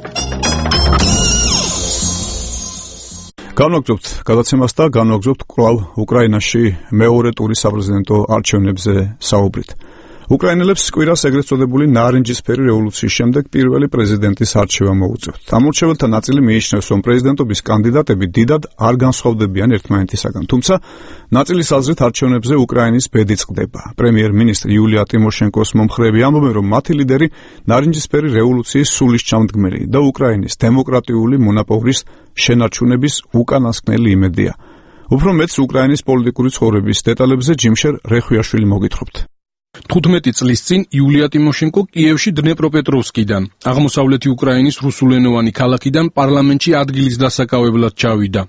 განვაგრძობთ გადაცემას და განვაგრძობთ კვლავ უკრაინაში მეორე ტურის საპრეზიდენტო არჩევნებზე საუბრით. უკრაინელებს კვირას ეგრეთ წოდებული ნარინჯისფერი რევოლუციის შემდეგ პირველი პრეზიდენტის არჩევა მოუწევთ. ამორჩეველთა ნაწილი მიიჩნევს, რომ პრეზიდენტობის კანდიდატები დიდად არ განსხვავდებიან ერთმანეთისაგან, თუმცა ნაწილის აზრით არჩევნებზე უკრაინის ბედი წყდება. პრემიერ-მინისტრი იულია ტიმოშენკოს მომხრეები ამბობენ, რომ მათი ლიდერი ნარინჯისფერი რევოლუციის სულისჩამდგმელი და უკრაინის დემოკრატიული მონაპოვრის შენარჩუნების უკანასკნელი იმედია. უფრო მეტს უკრაინის პოლიტიკური ცხოვრების დეტალებზე ჯიმშერ რეხვიაშვილი მოგითხრობთ. 15 წლის წინ იულია ტიმოშენკო კიევში დნეპროპეტროვსკიდან, აღმოსავლეთი უკრაინის რუსულენოვანი ქალაქიდან პარლამენტში ადგილის დასაკავებლად ჩავიდა.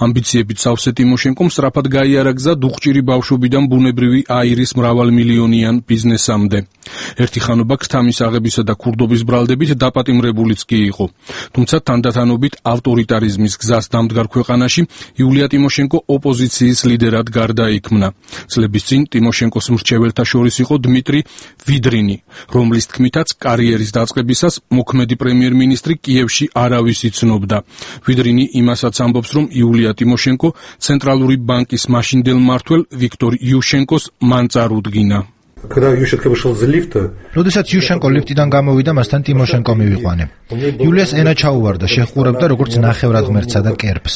ამბიციებით სავსე ტიმოშენკომ სწრაფად გაიარა გზა დუხჭირი ბავშვობიდან ბუნებრივი აირის მრავალმილიონიან ბიზნესამდე. ერთი ხანობა ქრთამის აღებისა და ქურდობის ბრალდებით დაპატიმრებულიც კი იყო. თუმცა თანდათანობით ავტორიტარიზმის გზას დამდგარ ქვეყანაში იულია ტიმოშენკო ოპოზიციის ლიდერად გარდაიქმნა. წლების წინ ტიმოშენკოს მრჩეველთა შორის იყო დმიტრი ვიდრინი, რომლის თქმითაც კარიერის დაწყებისას მოქმედი პრემიერ-მინისტრი კიევში არავის იცნობდა. ვიდრინი იმასაც ამბობს, რომ იულია ტიმოშენკო ცენტრალური ბანკის მაშინდელ მმართველ ვიქტორ იუშენკოს მან წარუდგინა. როდესაც იუშენკო ლიფტიდან გამოვიდა, მასთან ტიმოშენკო მივიყვანე. იულიას ენა ჩაუვარდა, შეჰყურებდა როგორც ნახევრად ღმერთსა და კერპს.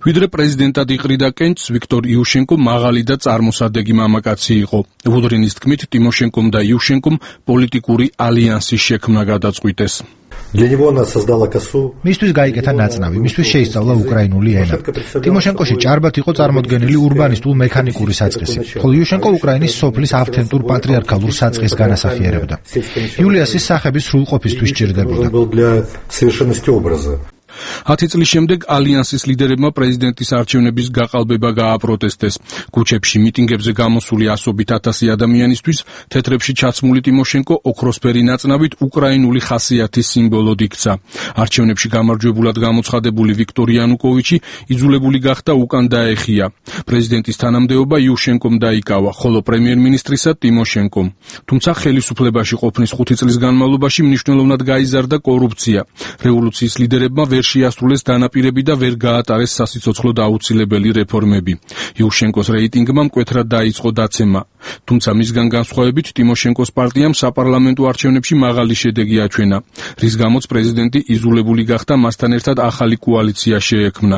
ვიდრე პრეზიდენტად იყრიდა კენჭს, ვიქტორ იუშენკო მაღალი და წარმოსადეგი მამაკაცი იყო. ვუდრინის თქმით, ტიმოშენკომ და იუშენკომ პოლიტიკური ალიანსის შექმნა გადაწყვიტეს. მისთვის გაიკეთა ნაწნავი, მისთვის შეისწავლა უკრაინული ენა. ტიმოშენკოში ჭარბად იყო წარმოდგენილი ურბანისტულ მექანიკური საწყისი, ხოლო იუშენკო უკრაინის სოფლის ავთენტურ პატრიარქალურ საწყისს განასახიერებდა. იულიასის სახების სრულყოფისთვის ჭირდებოდა. 10 წლის შემდეგ ალიანსის ლიდერებმა პრეზიდენტის არჩევნების გაყალბება გააპროტესტეს. ქუჩებში მიტინგებზე გამოსული ასობით ათასი ადამიანისთვის თეთრებში ჩაცმული ტიმოშენკო ოქროსფერი ნაწნავით უკრაინული ხასიათის სიმბოლოდ იქცა. არჩევნებში გამარჯვებულად გამოცხადებული ვიქტორ იანუკოვიჩი იძულებული გახდა უკან დაეხია. პრეზიდენტის თანამდებობა იუშენკომ დაიკავა, ხოლო პრემიერ-მინისტრისა ტიმოშენკომ. თუმცა ხელისუფლებაში ყოფნის 5 წლის განმავლობაში მნიშვნელოვნად გაიზარდა კორუფცია. რევოლუციის ლიდერებმა ვერ შეასრულეს დანაპირები და ვერ გაატარეს სასიცოცხლოდ აუცილებელი რეფორმები. იუშენკოს რეიტინგმა მკვეთრად დაიწყო დაცემა. თუმცა მისგან განსხვავებით ტიმოშენკოს პარტიამ საპარლამენტო არჩევნებში მაღალი შედეგი აჩვენა, რის გამოც პრეზიდენტი იძულებული გახდა მასთან ერთად ახალი კოალიცია შეექმნა.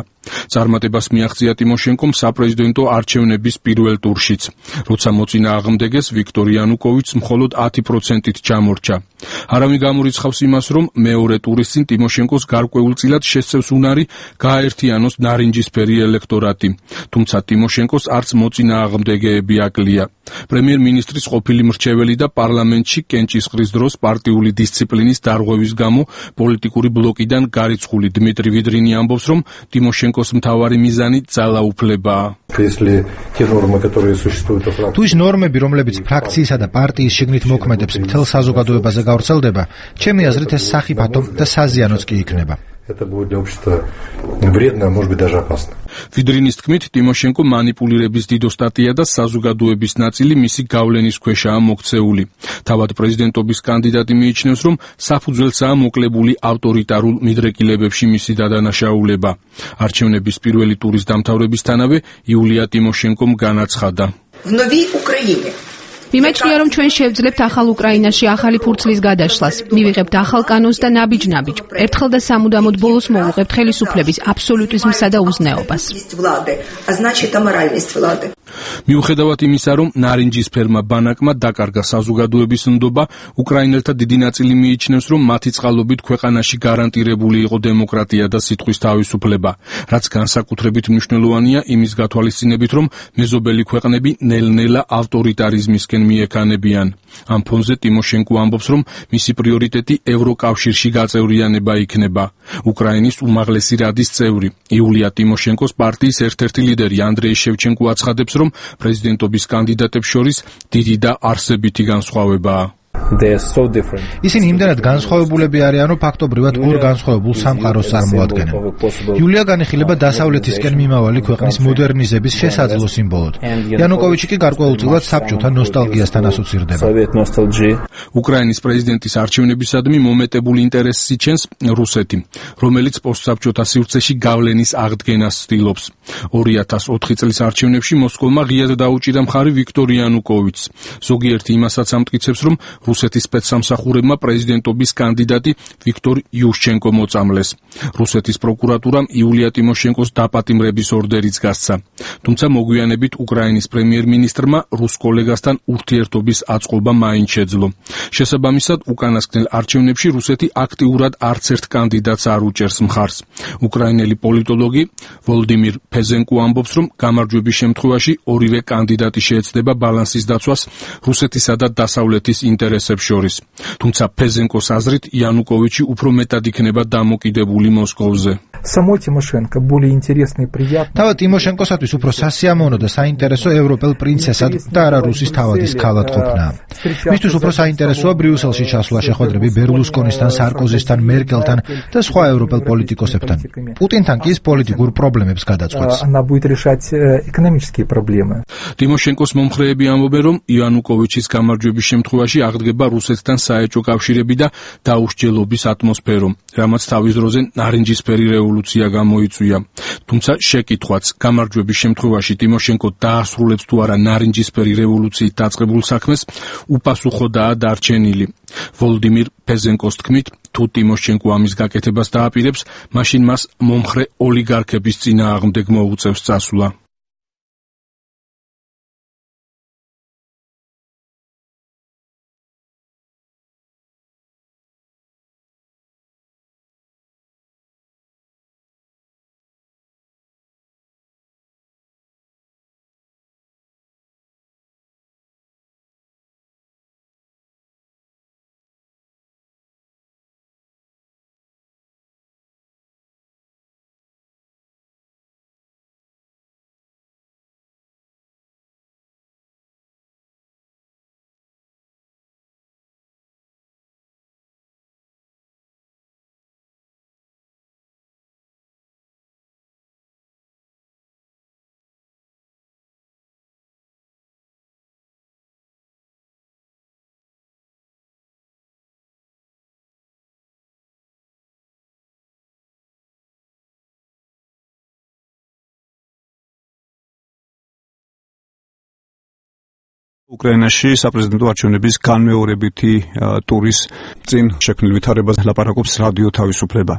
წარმატებას მიაღწია ტიმოშენკომ საპრეზიდენტო არჩევნების პირველ ტურშიც, როცა მოწინააღმდეგეს ვიქტორ იანუკოვიჩს მხოლოდ 10%-ით ჩამორჩა. არავინ გამორიცხავს იმას, რომ მეორე ტურის წინ ტიმოშენკოს გარკვეულწილად ადგილად შესწევს უნარი გააერთიანოს ნარინჯისფერი ელექტორატი. თუმცა ტიმოშენკოს არც მოწინააღმდეგეები აკლია. პრემიერ-მინისტრის ყოფილი მრჩეველი და პარლამენტში კენჭისყრის დროს პარტიული დისციპლინის დარღვევის გამო პოლიტიკური ბლოკიდან გარიცხული დმიტრი ვიდრინი ამბობს, რომ ტიმოშენკოს მთავარი მიზანი ძალაუფლებაა. თუ ის ნორმები, რომლებიც ფრაქციისა და პარტიის შიგნით მოქმედებს, მთელ საზოგადოებაზე გავრცელდება, ჩემი აზრით ეს სახიფათო და საზიანოც კი იქნება. Это будет для общества вредно, может быть, даже опасно. ვიდრინის თქმით, ტიმოშენკო манипулირების დიდო სტატია და საზოგადოების ნაწილი მისი გავლენის ქვეშაა მოქცეული. თავად პრეზიდენტობის კანდიდატი მიიჩნევს, რომ საფუძველსაა მოკლებული ავტორიტარულ მიდრეკილებებში მისი დადანაშაულება. არჩევნების პირველი ტურის დამთავრებისთანავე იულია ტიმოშენკომ განაცხადა. მიმაჩნია, რომ ჩვენ შევძლებთ ახალ უკრაინაში ახალი ფურცლის გადაშლას. მივიღებთ ახალ კანონს და ნაბიჯ-ნაბიჯ. ერთხელ და სამუდამოდ ბოლოს მოვუღებთ ხელისუფლების აბსოლუტიზმსა და უზნეობას. მიუხედავად იმისა, რომ ნარინჯისფერმა ბანაკმა დაკარგა საზოგადოების ნდობა, უკრაინელთა დიდი ნაწილი მიიჩნევს, რომ მათი წყალობით ქვეყანაში გარანტირებული იყო დემოკრატია და სიტყვის თავისუფლება, რაც განსაკუთრებით მნიშვნელოვანია იმის გათვალისწინებით, რომ მეზობელი ქვეყნები ნელ-ნელა ავტორიტარიზმისკენ მიექანებიან. ამ ფონზე ტიმოშენკო ამბობს, რომ მისი პრიორიტეტი ევროკავშირში გაწევრიანება იქნება. უკრაინის უმაღლესი რადის წევრი იულია ტიმოშენკოს პარტიის ერთ-ერთი ლიდერი ანდრეი შევჩენკო აცხადებს, რომ პრეზიდენტობის კანდიდატებს შორის დიდი და არსებითი განსხვავებაა. ისინი იმდენად განსხვავებულები არიან, რომ ფაქტობრივად ორ განსხვავებულ სამყაროს წარმოადგენენ. იულია განიხილება დასავლეთისკენ მიმავალი ქვეყნის მოდერნიზების შესაძლო სიმბოლოდ. იანუკოვიჩი კი გარკვეულწილად საბჭოთა ნოსტალგიასთან ასოცირდება. უკრაინის პრეზიდენტის არჩევნებისადმი მომეტებულ ინტერესს იჩენს რუსეთი, რომელიც პოსტსაბჭოთა სივრცეში გავლენის აღდგენას ცდილობს. 2004 წლის არჩევნებში მოსკოვმა ღიად დაუჭირა მხარი ვიქტორ იანუკოვიჩს. ზოგიერთი იმასაც ამტკიცებს, რომ რუსეთის სპეცსამსახურებმა პრეზიდენტობის კანდიდატი ვიქტორ იუშჩენკო მოწამლეს. რუსეთის პროკურატურამ იულია ტიმოშენკოს დაპატიმრების ორდერიც გასცა. თუმცა მოგვიანებით უკრაინის პრემიერ-მინისტრმა რუს კოლეგასთან ურთიერთობის აწყობა მაინც შეძლო. შესაბამისად, უკანასკნელ არჩევნებში რუსეთი აქტიურად არც ერთ კანდიდატს არ უჭერს მხარს. უკრაინელი პოლიტოლოგი ვოლდიმირ ფეზენკო ამბობს, რომ გამარჯვების შემთხვევაში ორივე კანდიდატი შეეცდება ბალანსის დაცვას რუსეთისა და დასავლეთის ინტერესებს შორის. თუმცა ფეზენკოს აზრით იანუკოვიჩი უფრო მეტად იქნება დამოკიდებული მოსკოვზე. თავად ტიმოშენკოსათვის უფრო სასიამოვნო და საინტერესო ევროპელ პრინცესად და არა რუსის თავადის ქალად ყოფნა. მისთვის უფრო საინტერესოა ბრიუსელში ჩასვლა შეხვედრები ბერლუსკონისთან, სარკოზისთან, მერკელთან და სხვა ევროპელ პოლიტიკოსებთან. პუტინთან კი ის პოლიტიკურ პრობლემებს გადაწყვეტს. ტიმოშენკოს მომხრეები ამბობენ, რომ იანუკოვიჩის გამარჯვების შემთხვევაში აღდგება რუსეთთან საეჭვო კავშირები და დაუსჯელობის ატმოსფერო, რამაც თავის დროზე ნარინჯისფერი რევოლუცია გამოიწვია. თუმცა შეკითხვაც, გამარჯვების შემთხვევაში ტიმოშენკო დაასრულებს თუ არა ნარინჯისფერი რევოლუციით დაწყებულ საქმეს, უპასუხოდაა დარჩენილი. ვოლდიმირ ფეზენკოს თქმით, თუ ტიმოშენკო ამის გაკეთებას დააპირებს, მაშინ მას მომხრე ოლიგარქების წინააღმდეგ მოუწევს წასვლა. უკრაინაში საპრეზიდენტო არჩევნების განმეორებითი ტურის წინ შექმნილ ვითარებას ლაპარაკობს რადიო თავისუფლება.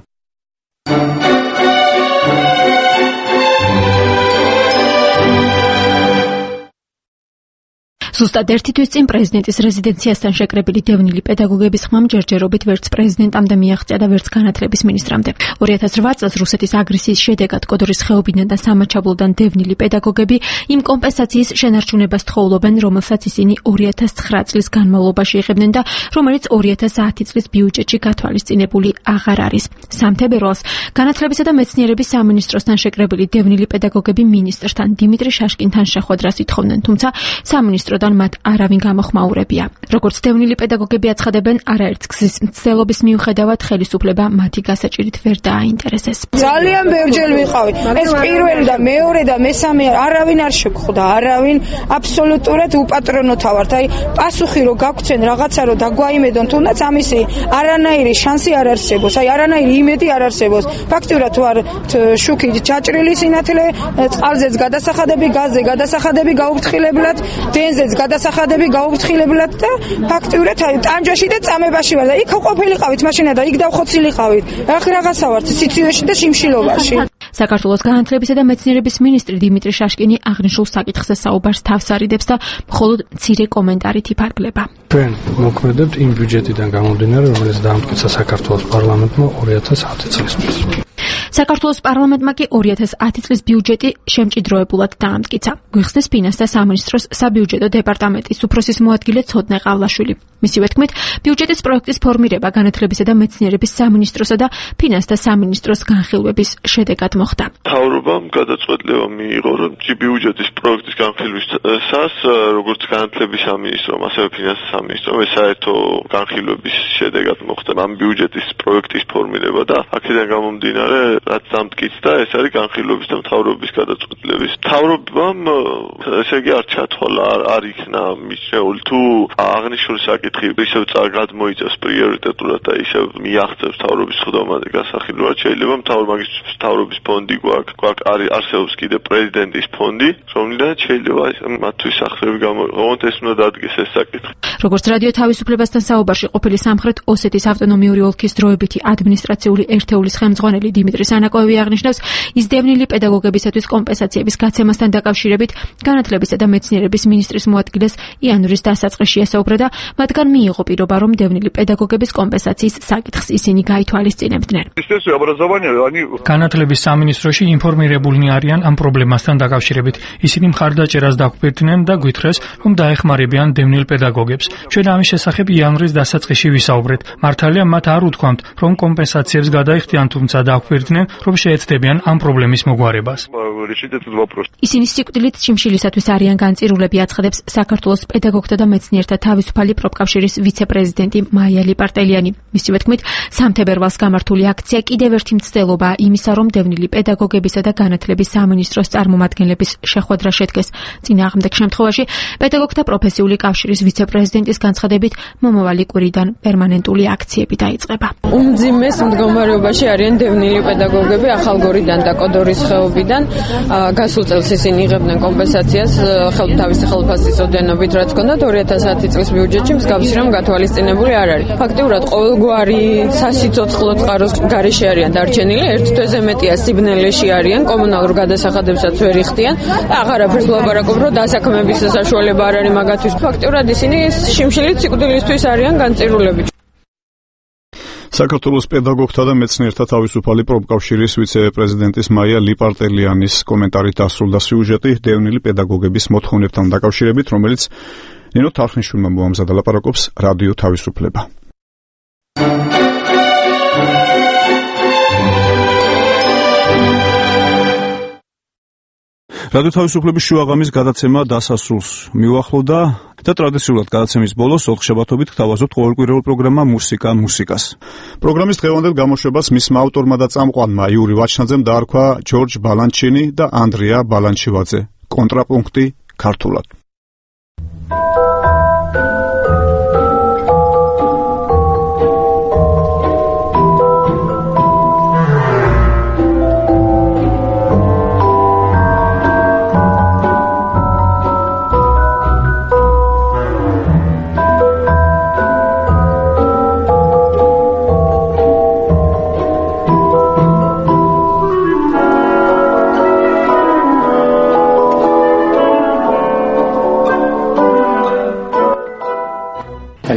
ზუსტად ერთი თვის წინ პრეზიდენტის რეზიდენციასთან შეკრებილი დევნილი პედაგოგების ხმამ ჯერჯერობით ვერც პრეზიდენტამდე მიაღწია და ვერც განათლების ministrამდე. 2008 წელს რუსეთის აგრესიის შედეგად კოდორის ხეობიდან და სამაჩაბლოდან დევნილი პედაგოგები იმ კომპენსაციის შენარჩუნებას თხოვლობენ, რომელსაც ისინი 2009 წლის განმავლობაში იღებდნენ და რომელიც 2010 წლის ბიუჯეტში გათვალისწინებული აღარ არის. სამთებერვალს განათლებისა და მეცნიერების სამინისტროსთან შეკრებილი დევნილი პედაგოგები მინისტრთან დიმიტრი შაშკინთან შეხვედრას ითხოვდნენ, თუმცა სამინისტროდან მათ არავინ გამოხმაურებია. როგორც დევნილი პედაგოგები აცხადებენ, არაერთ გზის მცდელობის მიუხედავად ხელისუფლება მათი გასაჭირით ვერ დააინტერესეს. ძალიან ბევრჯერ ვიყავი. ეს პირველი და მეორე და მესამე არავინ არ შეგხვდა, არავინ აბსოლუტურად უპატრონოთა ვართ. აი პასუხი რო გაგვცენ რაღაცა რო დაგვაიმედონ, თუნდაც ამისი არანაირი შანსი არ არსებობს. აი არანაირი იმედი არ არსებობს. ფაქტიურად ვარ შუქი ჩაჭრილი სინათლე, წყალზეც გადასახადები, გაზზე გადასახადები გაუფრთხილებლად, დენზეც გადასახადები გაუფრთხილებლად და ფაქტიურად აი ტანჯაში და წამებაში ვარ და იქ ყოფილიყავით მაშინა და იქ დავხოცილიყავით. ახლა რაღაცა ვარ სიცივეში და შიმშილობაში. საქართველოს განათლებისა და მეცნიერების მინისტრი დიმიტრი შაშკინი აღნიშნულ საკითხზე საუბარს თავს არიდებს და მხოლოდ მცირე კომენტარით იფარგლება. ჩვენ მოქმედებთ იმ ბიუჯეტიდან გამომდინარე, რომელიც დაამტკიცა საქართველოს პარლამენტმა 2010 წლისთვის. საქართველოს პარლამენტმა კი 2010 წლის ბიუჯეტი შემჭიდროებულად დაამტკიცა. გვიხსნის ფინანსთა სამინისტროს საბიუჯეტო დეპარტამენტის უფროსის მოადგილე ცოდნე ყავლაშვილი. მისივე თქმით, ბიუჯეტის პროექტის ფორმირება განათლებისა და მეცნიერების სამინისტროსა და ფინანსთა სამინისტროს განხილვების შედეგად მოხდა. მთავრობამ გადაწყვეტილება მიიღო, რომ ბიუჯეტის პროექტის განხილვისას, როგორც განათლების სამინისტრომ, ასევე ფინანსთა სამინისტრომ, საერთო განხილვების შედეგად მოხდა ამ ბიუჯეტის პროექტის ფორმირება და აქედან გამომდინარე რაც დამტკიცდა, ეს არის განხილვების და მთავრობის გადაწყვეტილების. მთავრობამ ესე იგი არ ჩათვალა, არ იქნა მისეული თუ აღნიშნული საკითხი ისევ გადმოიწევს პრიორიტეტულად და ისევ მიაღწევს მთავრობის ხდომაზე გასახილვად. შეიძლება მთავრობის ფონდი გვაქვს, არსებობს კიდე პრეზიდენტის ფონდი, რომლიდანაც შეიძლება მათთვის სახსრები გამოიყენოთ, ეს უნდა დადგეს ეს საკითხი. როგორც რადიო თავისუფლებასთან საუბარში ყოფილი სამხრეთ ოსეთის ავტონომიური ოლქის დროებითი ადმინისტრაციული ერთეულის ხელმძღვანელი დიმიტრი სანაკოევი აღნიშნავს, ის დევნილი პედაგოგებისათვის კომპენსაციების გაცემასთან დაკავშირებით განათლებისა და მეცნიერების მინისტრის მოადგილეს იანვრის დასაწყისში ესაუბრა და მათგან მიიღო პირობა, რომ დევნილი პედაგოგების კომპენსაციის საკითხს ისინი გაითვალისწინებდნენ. განათლების სამინისტროში ინფორმირებულნი არიან ამ პრობლემასთან დაკავშირებით. ისინი მხარდაჭერას დაგვფერდნენ და გვითხრეს, რომ დაეხმარებიან დევნილ პედაგოგებს. ჩვენ ამის შესახებ იანვრის დასაწყისში ვისაუბრეთ. მართალია მათ არ უთქვამთ, რომ კომპენსაციებს გადაიხდიან, თუმცა დაგვფერდნენ, რომ შეეცდებიან ამ პრობლემის მოგვარებას. ისინი სიკვდილით შიმშილისათვის არიან განწირულები, აცხადებს საქართველოს პედაგოგთა და მეცნიერთა თავისუფალი პროფკავშირის ვიცე-პრეზიდენტი მაია ლიპარტელიანი. მისივე თქმით, სამთებერვალს გამართული აქცია კიდევ ერთი მცდელობაა იმისა, რომ დევნილი პედაგოგებისა და განათლების სამინისტროს წარმომადგენლების შეხვედრა შედგეს. წინააღმდეგ შემთხვევაში პედაგოგთა პროფესიული კავშირის ვიცე-პრეზიდენტის განცხადებით, მომავალი კვირიდან პერმანენტული აქციები დაიწყება. უმძიმეს მდგომარეობაში არიან დევნილი პედაგოგები ახალგორიდან და კოდორის ხეობიდან. გასულ წელს ისინი იღებდნენ კომპენსაციას თავისი ხელფასის ოდენობით, რაც ჰქონდათ 2010 წლის ბიუჯეტში მსგავსი რამ გათვალისწინებული არ არის. ფაქტიურად ყოველგვარი სასიცოცხლო წყაროს გარეშე არიან დარჩენილი, ერთ თვეზე მეტია სიბნელეში არიან, კომუნალურ გადასახადებსაც ვერ იხდიან. აღარაფერს ვლაპარაკობ, რომ დასაქმების საშუალება არ არის მაგათთვის. ფაქტიურად ისინი შიმშილით სიკვდილისთვის არიან განწირულები. საქართველოს პედაგოგთა და მეცნიერთა თავისუფალი პროფკავშირის ვიცე-პრეზიდენტის მაია ლიპარტელიანის კომენტარით დასრულდა სიუჟეტი დევნილი პედაგოგების მოთხოვნებთან დაკავშირებით, რომელიც ნინო თარხნიშვილმა მოამზადა. ლაპარაკობს რადიო თავისუფლება. რადიო თავისუფლების შუაღამის გადაცემა დასასრულს მიუახლოვდა და ტრადიციულად გადაცემის ბოლოს ოთხშაბათობით გთავაზობთ ყოველკვირეულ პროგრამა მუსიკას. პროგრამის დღევანდელ გამოშვებას მისმა ავტორმა და წამყვანმა იური ვაჩნაძემ დაარქვა ჯორჯ ბალანჩინი და ანდრია ბალანჩივაძე. კონტრაპუნქტი ქართულად.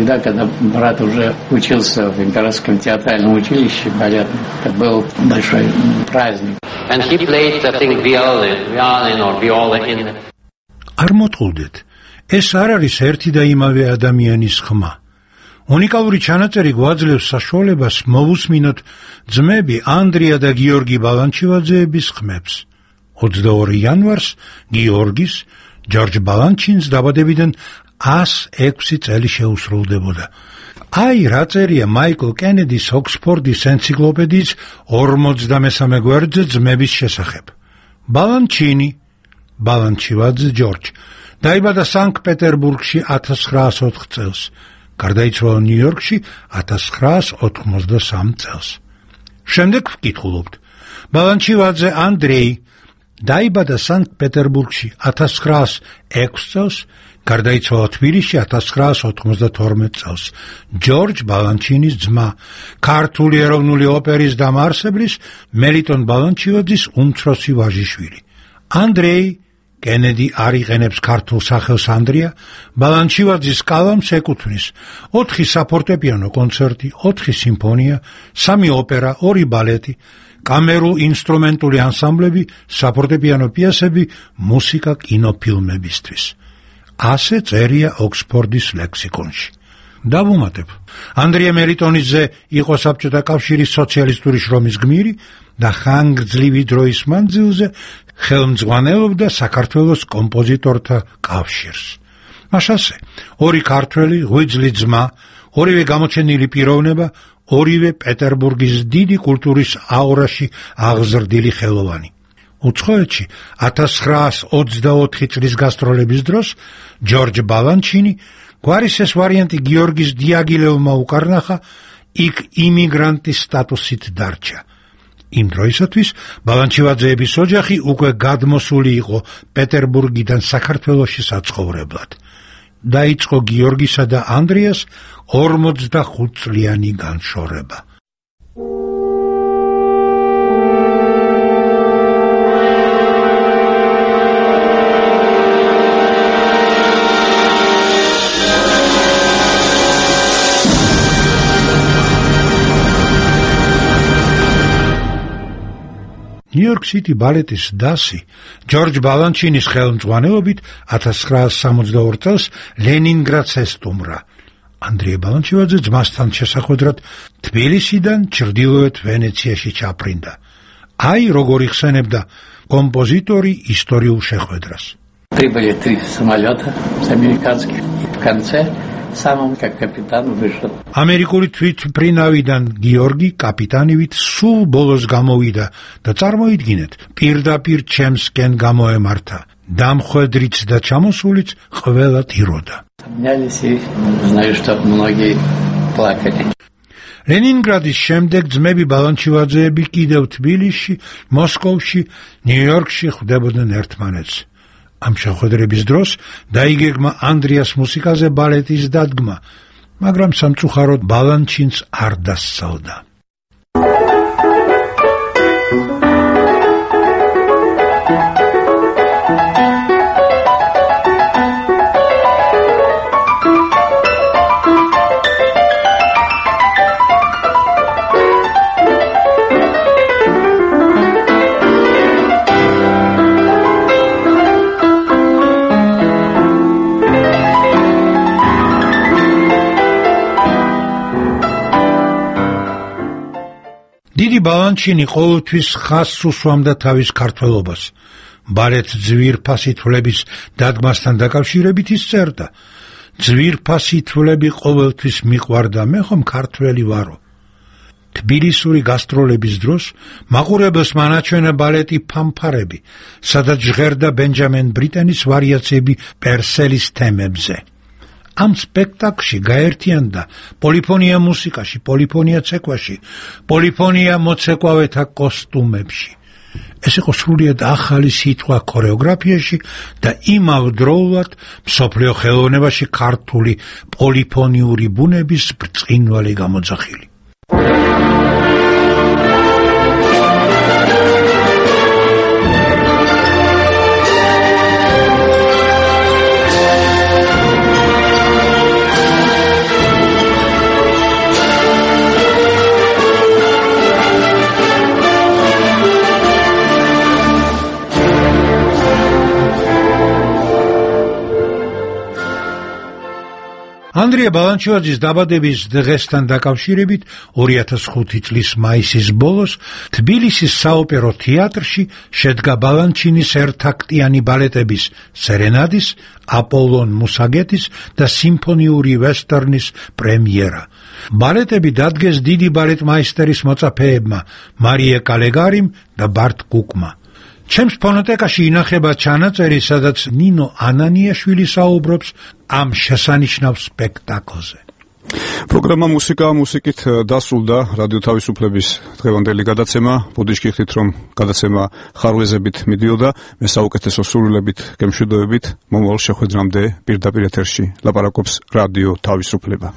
тогда, когда брат уже учился в Императорском театральном училище балетном, это был большой праздник. And he played, I think, violin or viola in the... არ მოტყუდეთ, ეს არ არის ერთი და იმავე ადამიანის ხმა. უნიკალური ჩანაწერი გვაძლევს საშუალებას მოვუსმინოთ ძმები ანდრია და გიორგი ბალანჩივაძეების ხმებს. 22 იანვარს გიორგის, ჯორჯ ბალანჩინს დაბადებიდან 106 წელი შეუსრულდებოდა. აი რა წერია მაიკლ კენედის ოქსფორდის ენციკლოპედიის 53 გვერდზე ძმების შესახებ. ბალანჩინი, ბალანჩივაძე ჯორჯ, დაიბადა სანქტ-პეტერბურგში 1904 წელს. გარდაიცვალა ნიუ-იორკში 1993 წელს. შემდეგ ვკითხულობთ. ბალანჩივაძე ანდრეი დაიბადა სანქტ-პეტერბურგში 1906 წელს, გარდაიცვალა თბილისში 1992 წელს. ჯორჯ ბალანჩინის ძმა, ქართული ეროვნული ოპერის დამაარსებლის მელიტონ ბალანჩივაძის უმცროსი ვაჟიშვილი. ანდრეი კენედი არ იყენებს ქართულ სახელს ანდრია, ბალანჩივაძის კალამს ეკუთვნის 4 საფორტეპიანო კონცერტი, 4 სიმფონია, 3 ოპერა, 2 ბალეტი, კამერულ ინსტრუმენტული ანსამბლები, საფორტეპიანო პიესები, მუსიკა კინოფილმებისთვის. ასე წერია ოქსფორდის ლექსიკონში. დავუმატებ. ანდრია მელიტონიძე იყო საბჭოთა კავშირის სოციალისტური შრომის გმირი და ხანგრძლივი დროის მანძილზე ხელმძღვანელობდა საქართველოს კომპოზიტორთა კავშირს. მაშასე, 2 ქართველი ღვიძლი ძმა, 2 გამოჩენილი პიროვნება, 2 პეტერბურგის დიდი კულტურის აურაში აღზრდილი ხელოვანი. უცხოეთში 1924 წლის გასტროლების დროს ჯორჯ ბალანჩინი გვარის ეს ვარიანტი გიორგის დიაგილევმა უკარნახა, იქ იმიგრანტის სტატუსით დარჩა. იმ დროისათვის ბალანჩივაძეების ოჯახი უკვე გადმოსული იყო პეტერბურგიდან საქართველოში საცხოვრებლად. დაიწყო გიორგისა და ანდრიას 45 წლიანი განშორება. ნიუ-იორკ სიტი ბალეტის დასი ჯორჯ ბალანჩინის ხელმძღვანელობით 1962 წელს ლენინგრადს ესტუმრა. ანდრია ბალანჩივაძე ძმასთან შესახვედრად თბილისიდან ჩრდილოეთ ვენეციაში ჩაფრინდა. აი როგორ იხსენებდა კომპოზიტორი ისტორიულ შეხვედრას. Прибыли 3 самолета с американских. В конце самым как капитан вышел. ამერიკული თვითმფრინავიდან გიორგი კაპიტანივით სულ ბოლოს გამოვიდა და წარმოიდგინეთ, პირდაპირ ჩემსკენ გამოემართა. დამხვედრიც და ჩამოსულიც ყველა ტიროდა. Знаю, что многие плакали. ლენინგრადის შემდეგ ძმები ბალანჩივაძეები კიდევ თბილისში, მოსკოვში, ნიუ-იორკში ხვდებოდნენ ერთმანეთს. ამ შეხვედრების დროს დაიგეგმა ანდრიას მუსიკაზე ბალეტის დადგმა, მაგრამ სამწუხაროდ ბალანჩინს არ დასწავდა. დიდი ბალანჩინი ყოველთვის ხაზს უსვამდა თავის ქართველობას. ბალეტ ძვირფასი თვლების დადგმასთან დაკავშირებით ის წერდა: ძვირფასი თვლები ყოველთვის მიყვარდა, მე ხომ ქართველი ვარო. თბილისური გასტროლების დროს მაყურებელს მანაჩვენა ბალეტი ფანფარები, სადაც ჟღერდა ბენჯამინ ბრიტენის ვარიაციები პერსელის თემებზე. ამ სპექტაკლში გაერთიანდა პოლიფონია მუსიკაში, პოლიფონია ცეკვაში, პოლიფონია მოცეკვავეთა კოსტუმებში. ეს იყო სრულიად ახალი სიტყვა ქორეოგრაფიაში და იმავდროულად მსოფლიო ხელოვნებაში ქართული პოლიფონიური ბუნების ბრწყინვალე გამოძახილი. ანდრია ბალანჩივაძის დაბადების დღესთან დაკავშირებით 2005 წლის მაისის ბოლოს თბილისის საოპერო თეატრში შედგა ბალანჩინის ერთაქტიანი ბალეტების სერენადის, აპოლონ მუსაგეტის და სიმფონიური ვესტერნის პრემიერა. ბალეტები დადგეს დიდი ბალეტმაისტერის მოწაფეებმა მარია კალეგარიმ და ბარტ კუკმა. ჩემს ფონოტეკაში ინახება ჩანაწერი, სადაც ნინო ანანიაშვილი საუბრობს ამ შესანიშნავ სპექტაკლზე. პროგრამა მუსიკით დასრულდა რადიო თავისუფლების დღევანდელი გადაცემა. ბუდიშკი ხდით, რომ გადაცემა ხარვეზებით მიდიოდა, მე საუკეთესო სურვილებით გემშვიდობებით, მომავალ შეხვედრამდე პირდაპირ ეთერში ლაპარაკობს რადიო თავისუფლება.